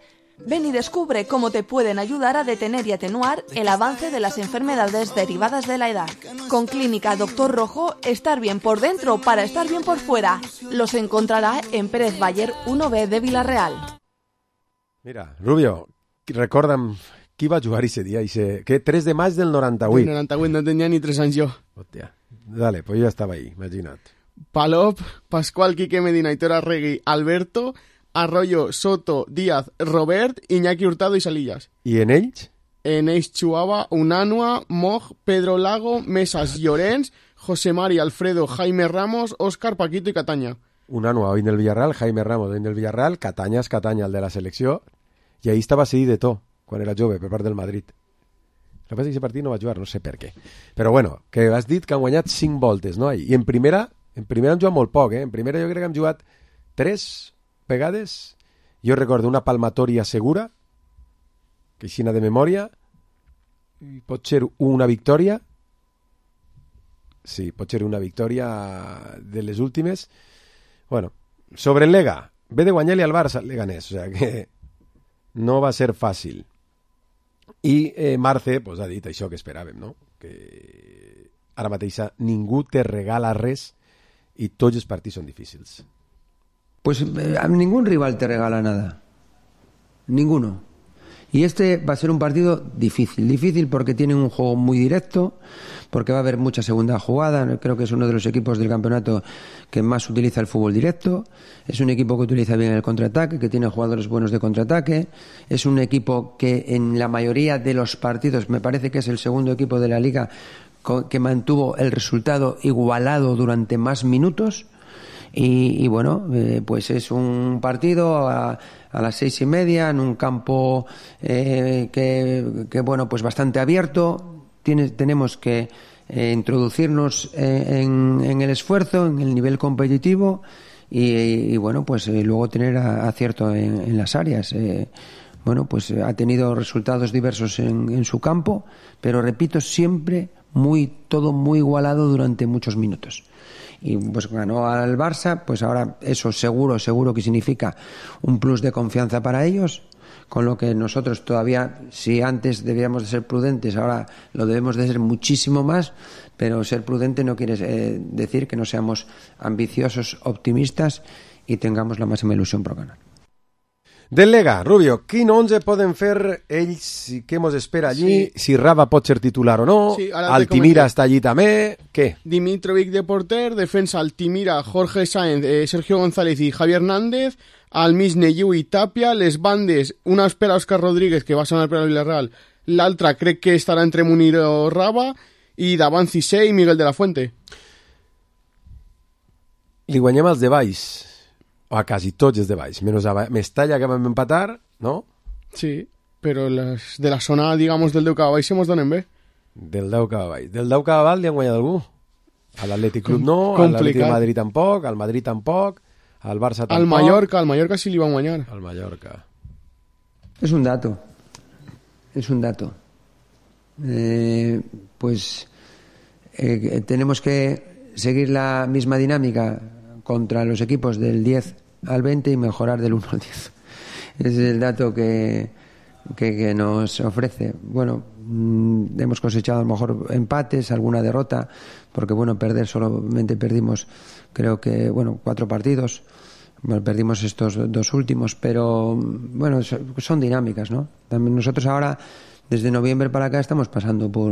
Ven y descubre cómo te pueden ayudar a detener y atenuar el avance de las enfermedades derivadas de la edad. Con Clínica Dr. Rojo, estar bien por dentro para estar bien por fuera. Los encontrará en Pérez Bayer 1B de Vila-real. Mira, Rubio, recorda'm qui va jugar ese dia, que 3 de maig del 98. El 98 no tenia ni 3 anys jo. Hòstia, dale, pues jo estava ahí, imagina't. Palop, Pascual, Quique Medina, Aitor Arregui, Alberto, Arroyo, Soto, Díaz, Robert, Iñaki Hurtado y Salillas. I en ells? En ells jugava Unanua, Moj, Pedro Lago, Mesas, Llorens, José Mari, Alfredo, Jaime Ramos, Óscar, Paquito i Catanya. Unanua, hoy en el Villarreal, Jaime Ramos, hoy en el Villarreal, Catanya és Catanya, el de la selecció, i ahí estava seguit de tot, quan era jove, per part del Madrid. El que passa és que aquest partit no va jugar, no sé per què. Però bueno, que has dit que han guanyat 5 voltes, no? I en primera han jugat molt poc, eh? En primera jo crec que han jugat 3 vegades. Jo recordo una palmatòria segura, que aixina de memòria, pot ser una victòria, sí, pot ser una victòria de les últimes. Bueno, sobre el Lega, ve de guanyar-li al Barça, el Leganés, o sea que no va ser fàcil. I Marce pues, ha dit això que esperàvem, no? Que ara mateixa ningú te regala res i tots els partits són difícils. Pues a ningún rival te regala nada. Ninguno. Y este va a ser un partido difícil. Difícil porque tiene un juego muy directo, porque va a haber mucha segunda jugada. Creo que es uno de los equipos del campeonato que más utiliza el fútbol directo. Es un equipo que utiliza bien el contraataque, que tiene jugadores buenos de contraataque. Es un equipo que en la mayoría de los partidos, me parece que es el segundo equipo de la Liga que mantuvo el resultado igualado durante más minutos. Y bueno, pues es un partido a las 6:30 en un campo que bueno, pues bastante abierto. Tenemos que introducirnos en el esfuerzo, en el nivel competitivo y bueno, pues luego tener acierto en las áreas. Bueno, pues ha tenido resultados diversos en su campo, pero repito, siempre todo muy igualado durante muchos minutos. Y pues ganó al Barça, pues ahora eso seguro que significa un plus de confianza para ellos, con lo que nosotros todavía, si antes debíamos de ser prudentes, ahora lo debemos de ser muchísimo más, pero ser prudente no quiere decir que no seamos ambiciosos, optimistas y tengamos la máxima ilusión por ganar. Del Lega, Rubio, quin 11 poden fer ells i què mos espera allí? Sí. Si Rava pot ser titular o no? Sí, Altimira està allí també? Què? Dimitrovic de porter, defensa Altimira, Jorge Sáenz, Sergio González i Javier Hernández, al mig Neyu i Tapia, les bandes, una espera Òscar Rodríguez, que va sonar per al Villarreal, l'altre crec que estarà entre Munir o Raba, i davant Cissé i Miguel de la Fuente. Li guanyem els de baix, o a quasi tots els de baix, menys a Mestalla que vam empatar, no? Sí, però les de la zona, digamos, del Déu Cava Baix se mos donen bé. Del Déu Cava Baix. Del Déu Cava Baix li han guanyat algú? A l'Atlètic Club no, a l'Atlètic de Madrid tampoc, al Madrid tampoc, al Barça tampoc. Al Mallorca sí li van guanyar. Al Mallorca. Es un dato. Tenemos que seguir la misma dinámica contra los equipos del 10 al 20 y mejorar del 1 al 10. Es el dato que nos ofrece. Bueno, hemos cosechado a lo mejor empates, alguna derrota, porque bueno, solamente perdimos, creo que 4 partidos. Bueno, perdimos estos 2 últimos, pero bueno, son dinámicas, ¿no? También nosotros ahora, desde noviembre para acá, estamos pasando por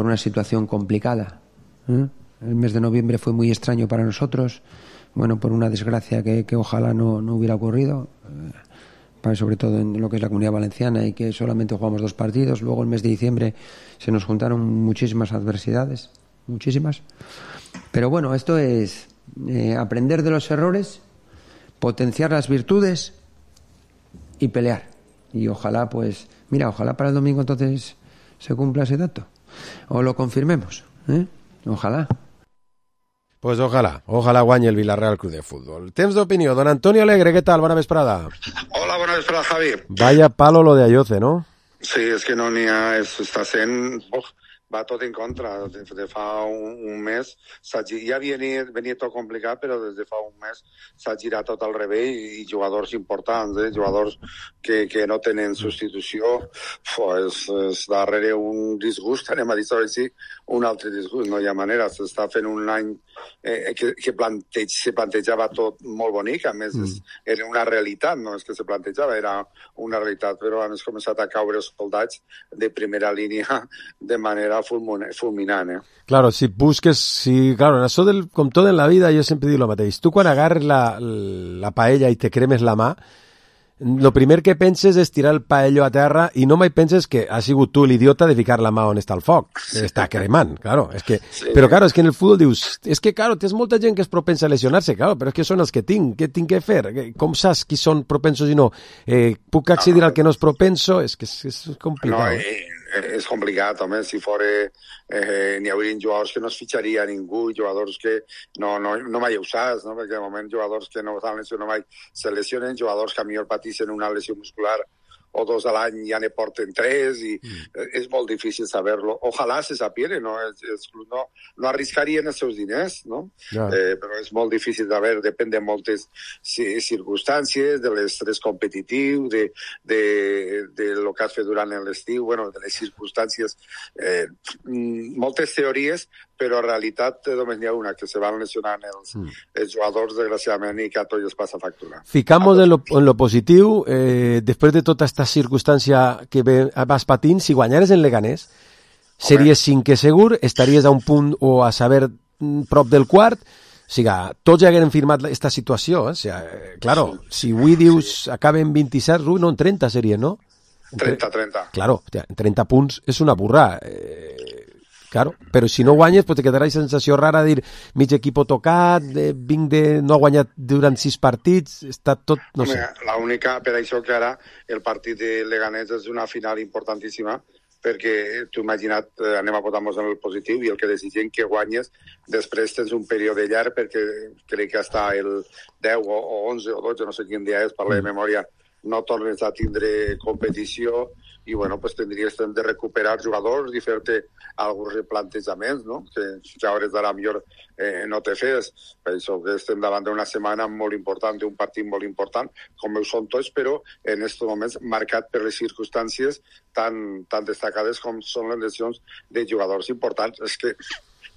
una situación complicada. El mes de noviembre fue muy extraño para nosotros, bueno, por una desgracia que ojalá no hubiera ocurrido, sobre todo en lo que es la Comunidad Valenciana, y que solamente jugamos 2 partidos. Luego el mes de diciembre se nos juntaron muchísimas adversidades, muchísimas. Pero bueno, esto es aprender de los errores, potenciar las virtudes y pelear. Y ojalá, ojalá para el domingo entonces se cumpla ese dato. O lo confirmemos, Ojalá. Pues ojalá guanye el Villarreal Club de Fútbol. Temps d'opinió. Don Antonio Alegre, ¿qué tal? Buena vesprada. Hola, buena vesprada, Javi. Vaya palo lo de Ayoce, ¿no? Sí, és que no n'hi ha... Està sent... va tot en contra. De fa un mes ja venia tot complicat, però des de fa un mes s'ha girat tot al revés i jugadors importants, jugadors que no tenen substitució. És darrere un disgust, anem a dir així, un altre disgust. No hi ha manera. S'està fent un any que se plantejava tot molt bonic. A més, era una realitat, no és que se plantejava, era una realitat, però han començat a caure els soldats de primera línia de manera fulminant. Claro, claro, en això com tot en la vida, jo sempre dic el mateix. Tu quan agarres la paella i te cremes la mà, lo primer que penses és tirar el paello a terra i no mai penses que has sigut tu l'idiota de ficar la mà on està el foc. Està cremant, claro. Però claro, és que en el futbol dius, és que claro, tens molta gent que és propensa a lesionar-se, claro, però és que són els que tinc, què tinc que fer? Com saps qui són propensos i no? Puc accedir al que no és propenso? És que és complicat. És complicat, home, si fora n'hi haurien jugadors que no es fitxaria a ningú, jugadors que no mai ho saps, no? Perquè de moment jugadors que no estan lesionats mai se lesionen, jugadors que a millor pateixen una lesió muscular o 2 a l'any ja ne porten 3 i és molt difícil saber-lo. Ojalà se sapiera, no? Els clubs no arriscarien els seus diners, no? Però és molt difícil de saber, depèn de moltes circumstàncies, de l'estrès competitiu, de lo que has fet durant l'estiu, bueno, de les circumstàncies, moltes teories, però en realitat només n'hi ha una, que se van lesionant els jugadors, desgraciadament, i que a tots els passa factura. Ficamos en lo positiu, després de tota esta circumstància que vas patint, si guanyares en Leganés, series 5 segur, estaries a un punt o a saber prop del quart, o sigui, tots ja hagueren firmat aquesta situació, o sigui, claro, si avui dius acaben 27, no, en 30 seria, no? 30. Claro, 30 punts és una burrada. Claro, però si no guanyes, pues te quedarà la sensació rara de dir mig equip tocat, no ha guanyat durant 6 partits, està tot, no sé. L'única, per això que ara el partit de Leganés és una final importantíssima, perquè tu imagina't, anem a posar-nos en el positiu, i el que desitgem que guanyes, després tens un període llarg, perquè crec que hasta el 10 o 11 o 12, no sé quin dia és, parla de memòria, no tornes a tindre competició, i bueno, pues tindries temps de recuperar jugadors i fer-te alguns replantejaments, no? Que a hores d'ara millor no te fes. Per això que estem davant d'una setmana molt important, d'un partit molt important, com ho són tots, però en aquests moments marcat per les circumstàncies tan destacades com són les lesions de jugadors importants. És que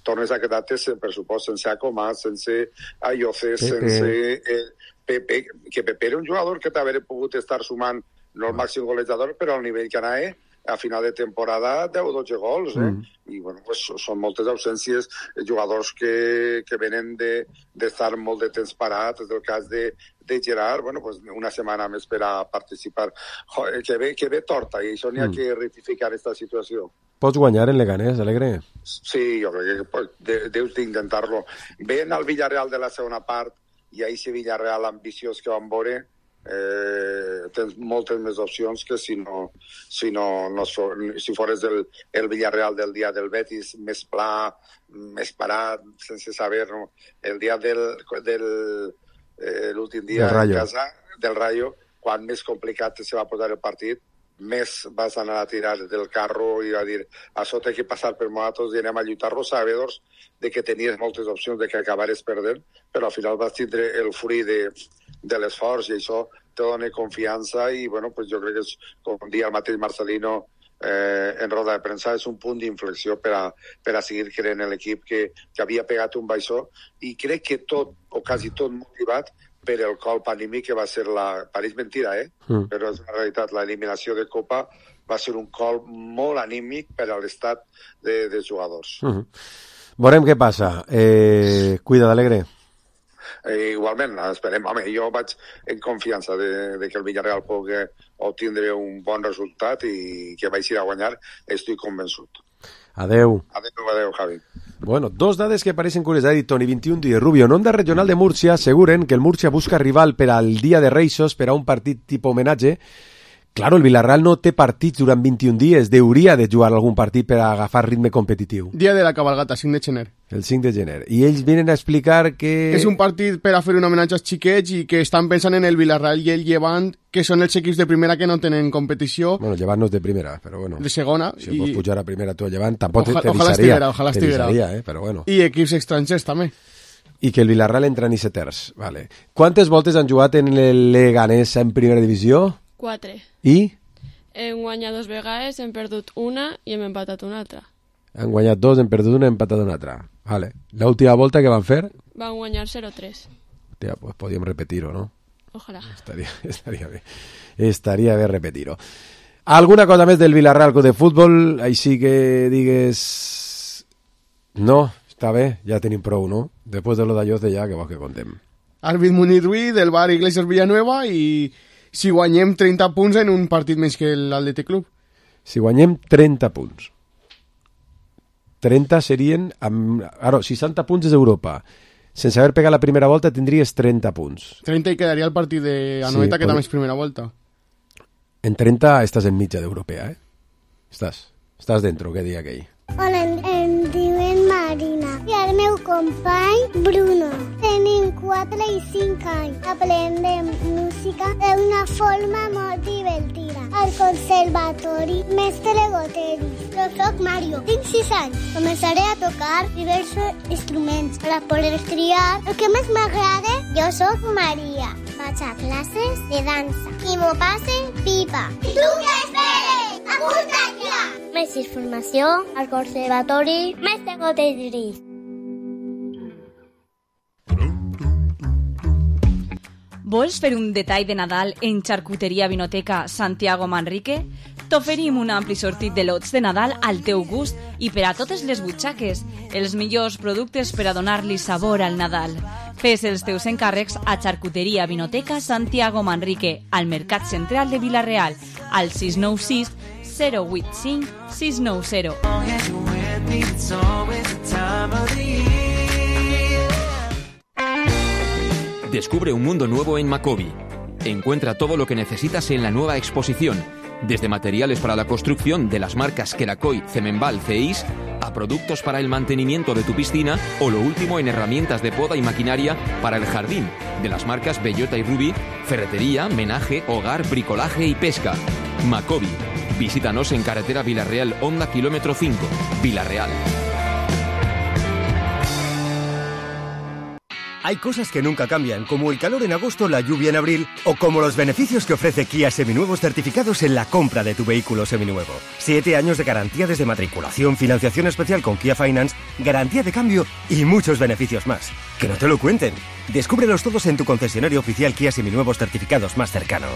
tornes a quedar-te, per supost, sense Acomás, sense Ayoce, sense Pepe, que Pepe era un jugador que t'hauria pogut estar sumant no el màxim golejador, però al nivell que anava a final de temporada 10 o 12 gols, I bueno, pues, són moltes ausències, jugadors que venen d'estar molt de temps parats, és el cas de Gerard, bueno, pues una setmana més per a participar. Joder, que ve torta, i això n'hi ha que rectificar aquesta situació. Pots guanyar en Leganés, Alegre? Sí, jo crec que pues, deus d'intentar-lo. Ven al Villarreal de la segona part, i ahir si Villarreal ambiciós que van veure, tens moltes més opcions que si fores el Villarreal del dia del Betis, més pla, més parat, sense saber, no? El dia l'últim dia a casa del Rayo, quan més complicat se va posar el partit, més vas anar a tirar del carro i a dir, això té que passar per nosaltres i anem a lluitar-lo, sabedors de que tenies moltes opcions de que acabares perdent, però al final vas tindre el fruit de l'esforç i això te dona confiança i bueno, pues jo crec que és, com dia el mateix Marcelino en roda de premsa, és un punt d'inflexió per a seguir creant en l'equip que havia pegat un baixó i crec que tot, o quasi tot motivat per el colp anímic que va ser pareix mentira, però és una realitat, l'eliminació de Copa va ser un colp molt anímic per a l'estat dels jugadors. Veurem què passa. Cuida d'Alegre. Igualment, esperem. Home, jo vaig en confiança de que el Villarreal pugui obtindre un bon resultat i que vagi a guanyar, estic convençut. Adeu. Adeu, Javi. Bueno, dos dades que parecen curiosas. Toni 21 de Rubio. En Onda Regional de Múrcia aseguren que el Múrcia busca rival per al dia de Reis per a un partit tipus homenatge. Claro, el Villarreal no té partits durant 21 dies. Hauria de jugar algun partit per a agafar ritme competitiu. Dia de la cabalgata, 5 de gener. El 5 de gener. I ells venen a explicar que... És un partit per a fer un homenatge als xiquets i que estan pensant en el Villarreal i el Llevant, que són els equips de primera que no tenen competició. Bueno, Llevant no és de primera, però bueno. De segona. Si pots pujar a primera tu a Llevant, tampoc t'avisaria. Ojalà estiguera. Però bueno. I equips estrangers també. I que el Villarreal entra en seters. Vale. Quantes voltes han jugat en el Leganés en primera divisió? 4. I? Hem guanyat 2 vegades, hem perdut una i hem empatat una altra. Han guanyat 2, hem perdut una i hem empatat una altra. Vale. L'última volta que van fer? Van guanyar 0-3. Hòstia, pues podíem repetir-ho, no? Ojalà. Estaria bé. Estaria bé repetir-ho. Alguna cosa més del Villarreal Club de Futbol? Així que digues... No, està bé, ja tenim prou, no? Després de lo d'Alloce ja, que vols que contem. Àrbit Muniruí, del Bar Iglesias Villanueva i... Si guanyem 30 punts en un partit més que l'Atlètic Club. Si guanyem 30 punts. 30 serien... Ara, 60 punts és Europa. Sense haver pegat la primera volta tindries 30 punts. 30 i quedaria el partit d'Anoeta, que també és primera volta. En 30 estàs en mitja d'europea, Estàs dentro, que dia aquell. Hola, em diuen Marina i el meu company Bruno. Tenim 4 i 5 anys. Aprendem música d'una forma molt divertida. Al conservatori Mestre Goteris. Jo soc Mario, tinc 6 anys. Començaré a tocar diversos instruments per a poder triar el que més m'agrada. Jo soc Maria. Vaig a classes de dansa i m'ho passe pipa. I tu què esperes? Apunta't ja! Més informació al conservatori Mestre Goteris. Vols fer un detall de Nadal en Xarcuteria Vinoteca Santiago Manrique? T'oferim un ampli sortit de lots de Nadal al teu gust i per a totes les butxaques, els millors productes per a donar-li sabor al Nadal. Fes els teus encàrrecs a Xarcuteria Vinoteca Santiago Manrique, al Mercat Central de Vila-real, al 696 085 690. Descubre un mundo nuevo en Macobi. Encuentra todo lo que necesitas en la nueva exposición, desde materiales para la construcción de las marcas Queracoy, Cemenval, Ceis, a productos para el mantenimiento de tu piscina o lo último en herramientas de poda y maquinaria para el jardín, de las marcas Bellota y Rubí, ferretería, menaje, hogar, bricolaje y pesca. Macobi. Visítanos en carretera Villarreal, Honda kilómetro 5, Villarreal. Hay cosas que nunca cambian, como el calor en agosto, la lluvia en abril, o como los beneficios que ofrece Kia Seminuevos certificados en la compra de tu vehículo seminuevo. 7 años de garantía desde matriculación, financiación especial con Kia Finance, garantía de cambio y muchos beneficios más. Que no te lo cuenten. Descúbrelos todos en tu concesionario oficial Kia Seminuevos certificados más cercano.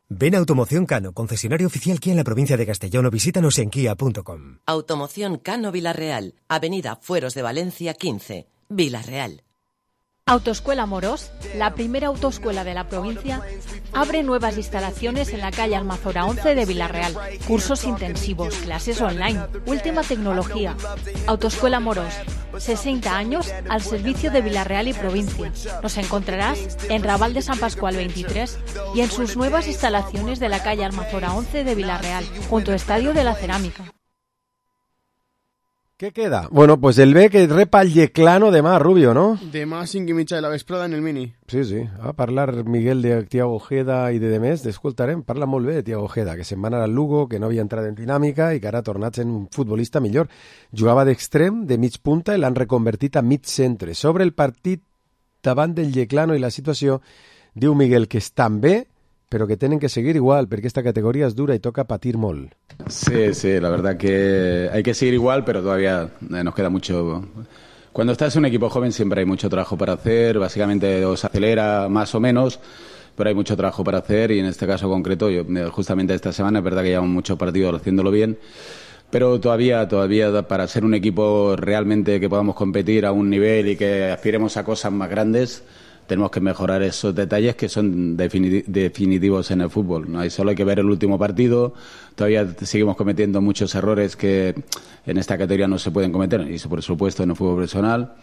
Ven a Automoción Cano, concesionario oficial Kia en la provincia de Castellón, o visítanos en kia.com. Automoción Cano Vilarreal, Avenida Fueros de Valencia 15, Vilarreal. Autoescuela Morós, la primera autoescuela de la provincia, abre nuevas instalaciones en la calle Almazora 11 de Vilarreal. Cursos intensivos, clases online, última tecnología. Autoescuela Morós, 60 años al servicio de Vilarreal y provincia. Nos encontrarás en Raval de San Pascual 23 y en sus nuevas instalaciones de la calle Almazora 11 de Vilarreal, junto al Estadio de la Cerámica. ¿Qué queda? Bueno, pues el B que repa el Yeclano demà, Rubio, no? Demà 5 i mitja de la vesprada en el Mini. Sí, sí. A parlar Miguel de Tiago Ojeda i de demés, escoltarem, parla molt bé de Tiago Ojeda, que se'n va anar al Lugo, que no havia entrat en dinàmica i que ara ha tornat sent un futbolista millor. Jugava d'extrem, de mig punta, i l'han reconvertit a mig centre. Sobre el partit davant del Yeclano i la situació, diu Miguel que estan bé, pero que tienen que seguir igual, porque esta categoría es dura y toca patir mol. Sí, la verdad que hay que seguir igual, pero todavía nos queda mucho. Cuando estás en un equipo joven siempre hay mucho trabajo para hacer, básicamente os acelera más o menos, pero hay mucho trabajo para hacer y en este caso concreto, justamente esta semana es verdad que llevamos muchos partidos haciéndolo bien, pero todavía para ser un equipo realmente que podamos competir a un nivel y que aspiremos a cosas más grandes, tenemos que mejorar esos detalles que son definitivos en el fútbol. ¿No? Solo hay que ver el último partido. Todavía seguimos cometiendo muchos errores que en esta categoría no se pueden cometer, y por supuesto en el fútbol profesional.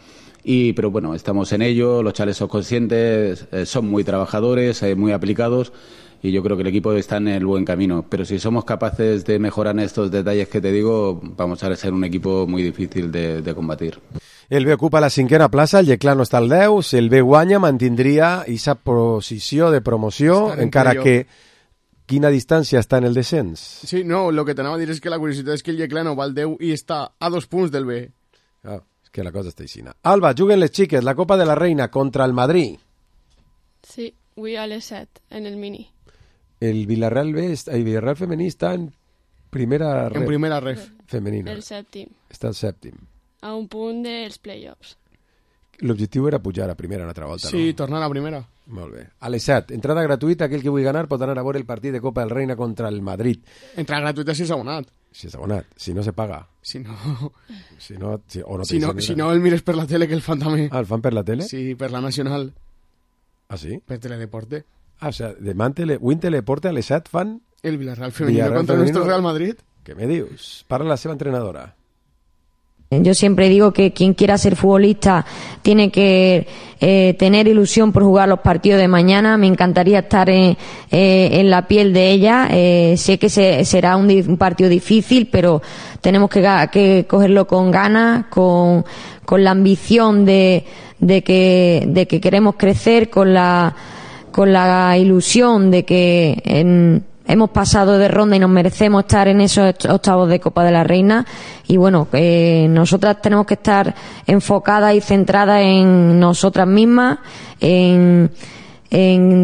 Pero bueno, estamos en ello, los chavales son conscientes, son muy trabajadores, muy aplicados, y yo creo que el equipo está en el buen camino. Pero si somos capaces de mejorar en estos detalles que te digo, vamos a ser un equipo muy difícil de combatir. El B ocupa la 5ª plaça, el Yeclano està al 10, si el B guanya mantindria aquesta posició de promoció, encara que quina distància està en el descens. Sí, no, lo que t'anava a dir és que la curiositat és que el Yeclano va al 10 i està a 2 punts del B. És que la cosa està aixina. Alba, juguen les xiques, la Copa de la Reina contra el Madrid. Sí, avui a les 7, en el Mini. El Villarreal B, el Villarreal femení està en primera ref. En primera ref. Femenina. El sèptim. Està al sèptim. A un punt dels play-offs. L'objectiu era pujar a primera una altra volta, sí, no? Sí, tornar a primera. Molt bé. A les 7, entrada gratuïta, aquell que vulgui ganar pot anar a veure el partit de Copa del Reina contra el Madrid. Entrada gratuïta si és abonat. Si és abonat, si no se paga. Si no, el mires per la tele, que el fan també. Ah, el fan per la tele? Sí, per la Nacional. Ah, sí? Per Teledeporte. Ah, o sea, demà Win Teledeporte a les 7 fan... El Villarreal femenino contra nuestro Real Madrid. Què me dius? Parla la seva entrenadora. Yo siempre digo que quien quiera ser futbolista tiene que tener ilusión por jugar los partidos de mañana. Me encantaría estar en la piel de ella. Sé que será un partido difícil, pero tenemos que cogerlo con ganas, con la ambición de que queremos crecer, con la ilusión de que hemos pasado de ronda y nos merecemos estar en esos octavos de Copa de la Reina. Y bueno, nosotras tenemos que estar enfocadas y centradas en nosotras mismas, en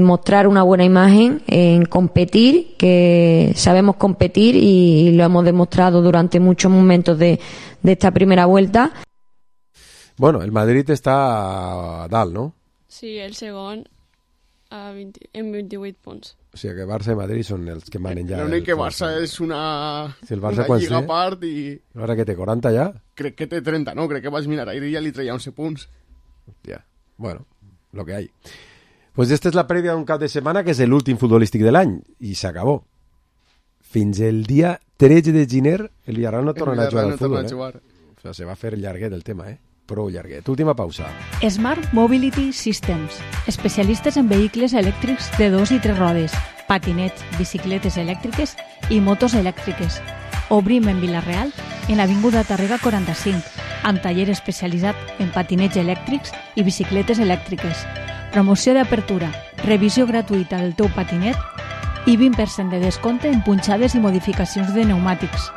mostrar una buena imagen, en competir, que sabemos competir y lo hemos demostrado durante muchos momentos de esta primera vuelta. Bueno, el Madrid està a dalt, no? Sí, el segon en 28 punts. O sigui que Barça i Madrid són els que manen ja. L'únic que Barça és una lliga a part i... Ara que té 40 ja? Crec que té 30, no? Crec que vas mirar ahir i ja li treia 11 punts. Ja, bueno, lo que hay. Pues esta és la prèvia d'un cap de setmana que és l'últim futbolístic de l'any i s'acabó. Fins el dia 13 de gener el Villarreal no tornarà a jugar al futbol. O sea, se va a fer llarguet el tema, prou llarguet. Última pausa. Smart Mobility Systems, especialistes en vehicles elèctrics de 2 i 3 rodes, patinets, bicicletes elèctriques i motos elèctriques. Obrim en Vilareal, en l'avinguda Tàrrega 45, amb taller especialitzat en patinets elèctrics i bicicletes elèctriques. Promoció d'apertura, revisió gratuïta del teu patinet i 20% de descompte en punxades i modificacions de pneumàtics.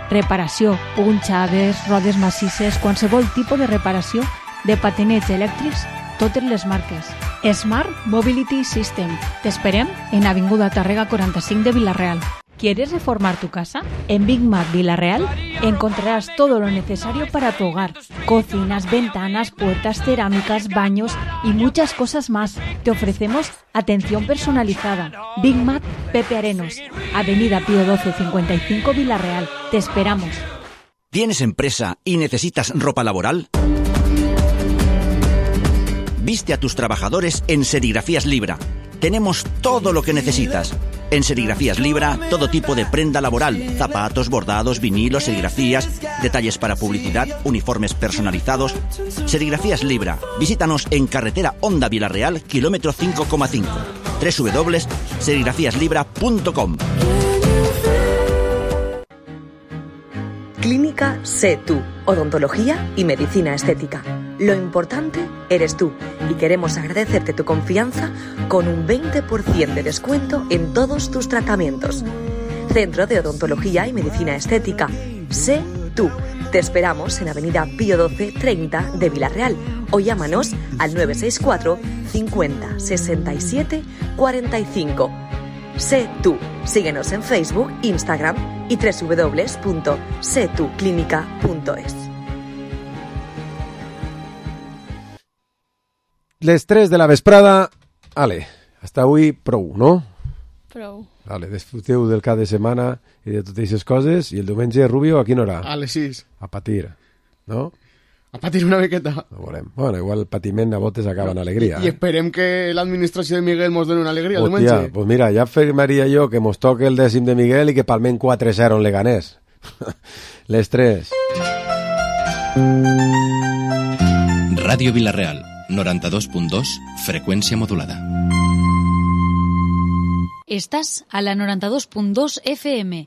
Reparació, punxades, rodes massisses, qualsevol tipus de reparació de patinets elèctrics, totes les marques. Smart Mobility System. T'esperem en Avinguda Tàrrega 45 de Vilareal. ¿Quieres reformar tu casa? En Big Mac Villarreal encontrarás todo lo necesario para tu hogar. Cocinas, ventanas, puertas, cerámicas, baños y muchas cosas más. Te ofrecemos atención personalizada. Big Mac Pepe Arenos, Avenida Pío 12 55 Villarreal. Te esperamos. ¿Tienes empresa y necesitas ropa laboral? Viste a tus trabajadores en Serigrafías Libra. Tenemos todo lo que necesitas. En Serigrafías Libra, todo tipo de prenda laboral, zapatos, bordados, vinilos, serigrafías, detalles para publicidad, uniformes personalizados. Serigrafías Libra. Visítanos en carretera Honda Villarreal, kilómetro 5,5. www.serigrafiaslibra.com. Clínica Sé Tú, odontología y medicina estética. Lo importante eres tú y queremos agradecerte tu confianza con un 20% de descuento en todos tus tratamientos. Centro de Odontología y Medicina Estética. Sé Tú. Te esperamos en Avenida Pío 12 30 de Villarreal o llámanos al 964 50 67 45. Sé Tú. Síguenos en Facebook, Instagram y www.setuclínica.es. Les 3 de la vesprada. Ale, hasta avui prou, no? Prou. Vale, disfruteu del cap de setmana i de totes aquestes coses, i el diumenge, Rubio, a quina hora? A les 6. A patir, no? A patir una miqueta. No volem. Bueno, igual el patiment a botes acaba en alegria. I esperem que l'administració de Miguel mos doni una alegria el Hòstia, diumenge. pues mira, ja afirmaria jo que mos toque el 10º de Miguel i que palmem 4-0 en Leganés. Les 3. Ràdio Vilareal, 92.2, freqüència modulada. Estás a la 92.2 FM,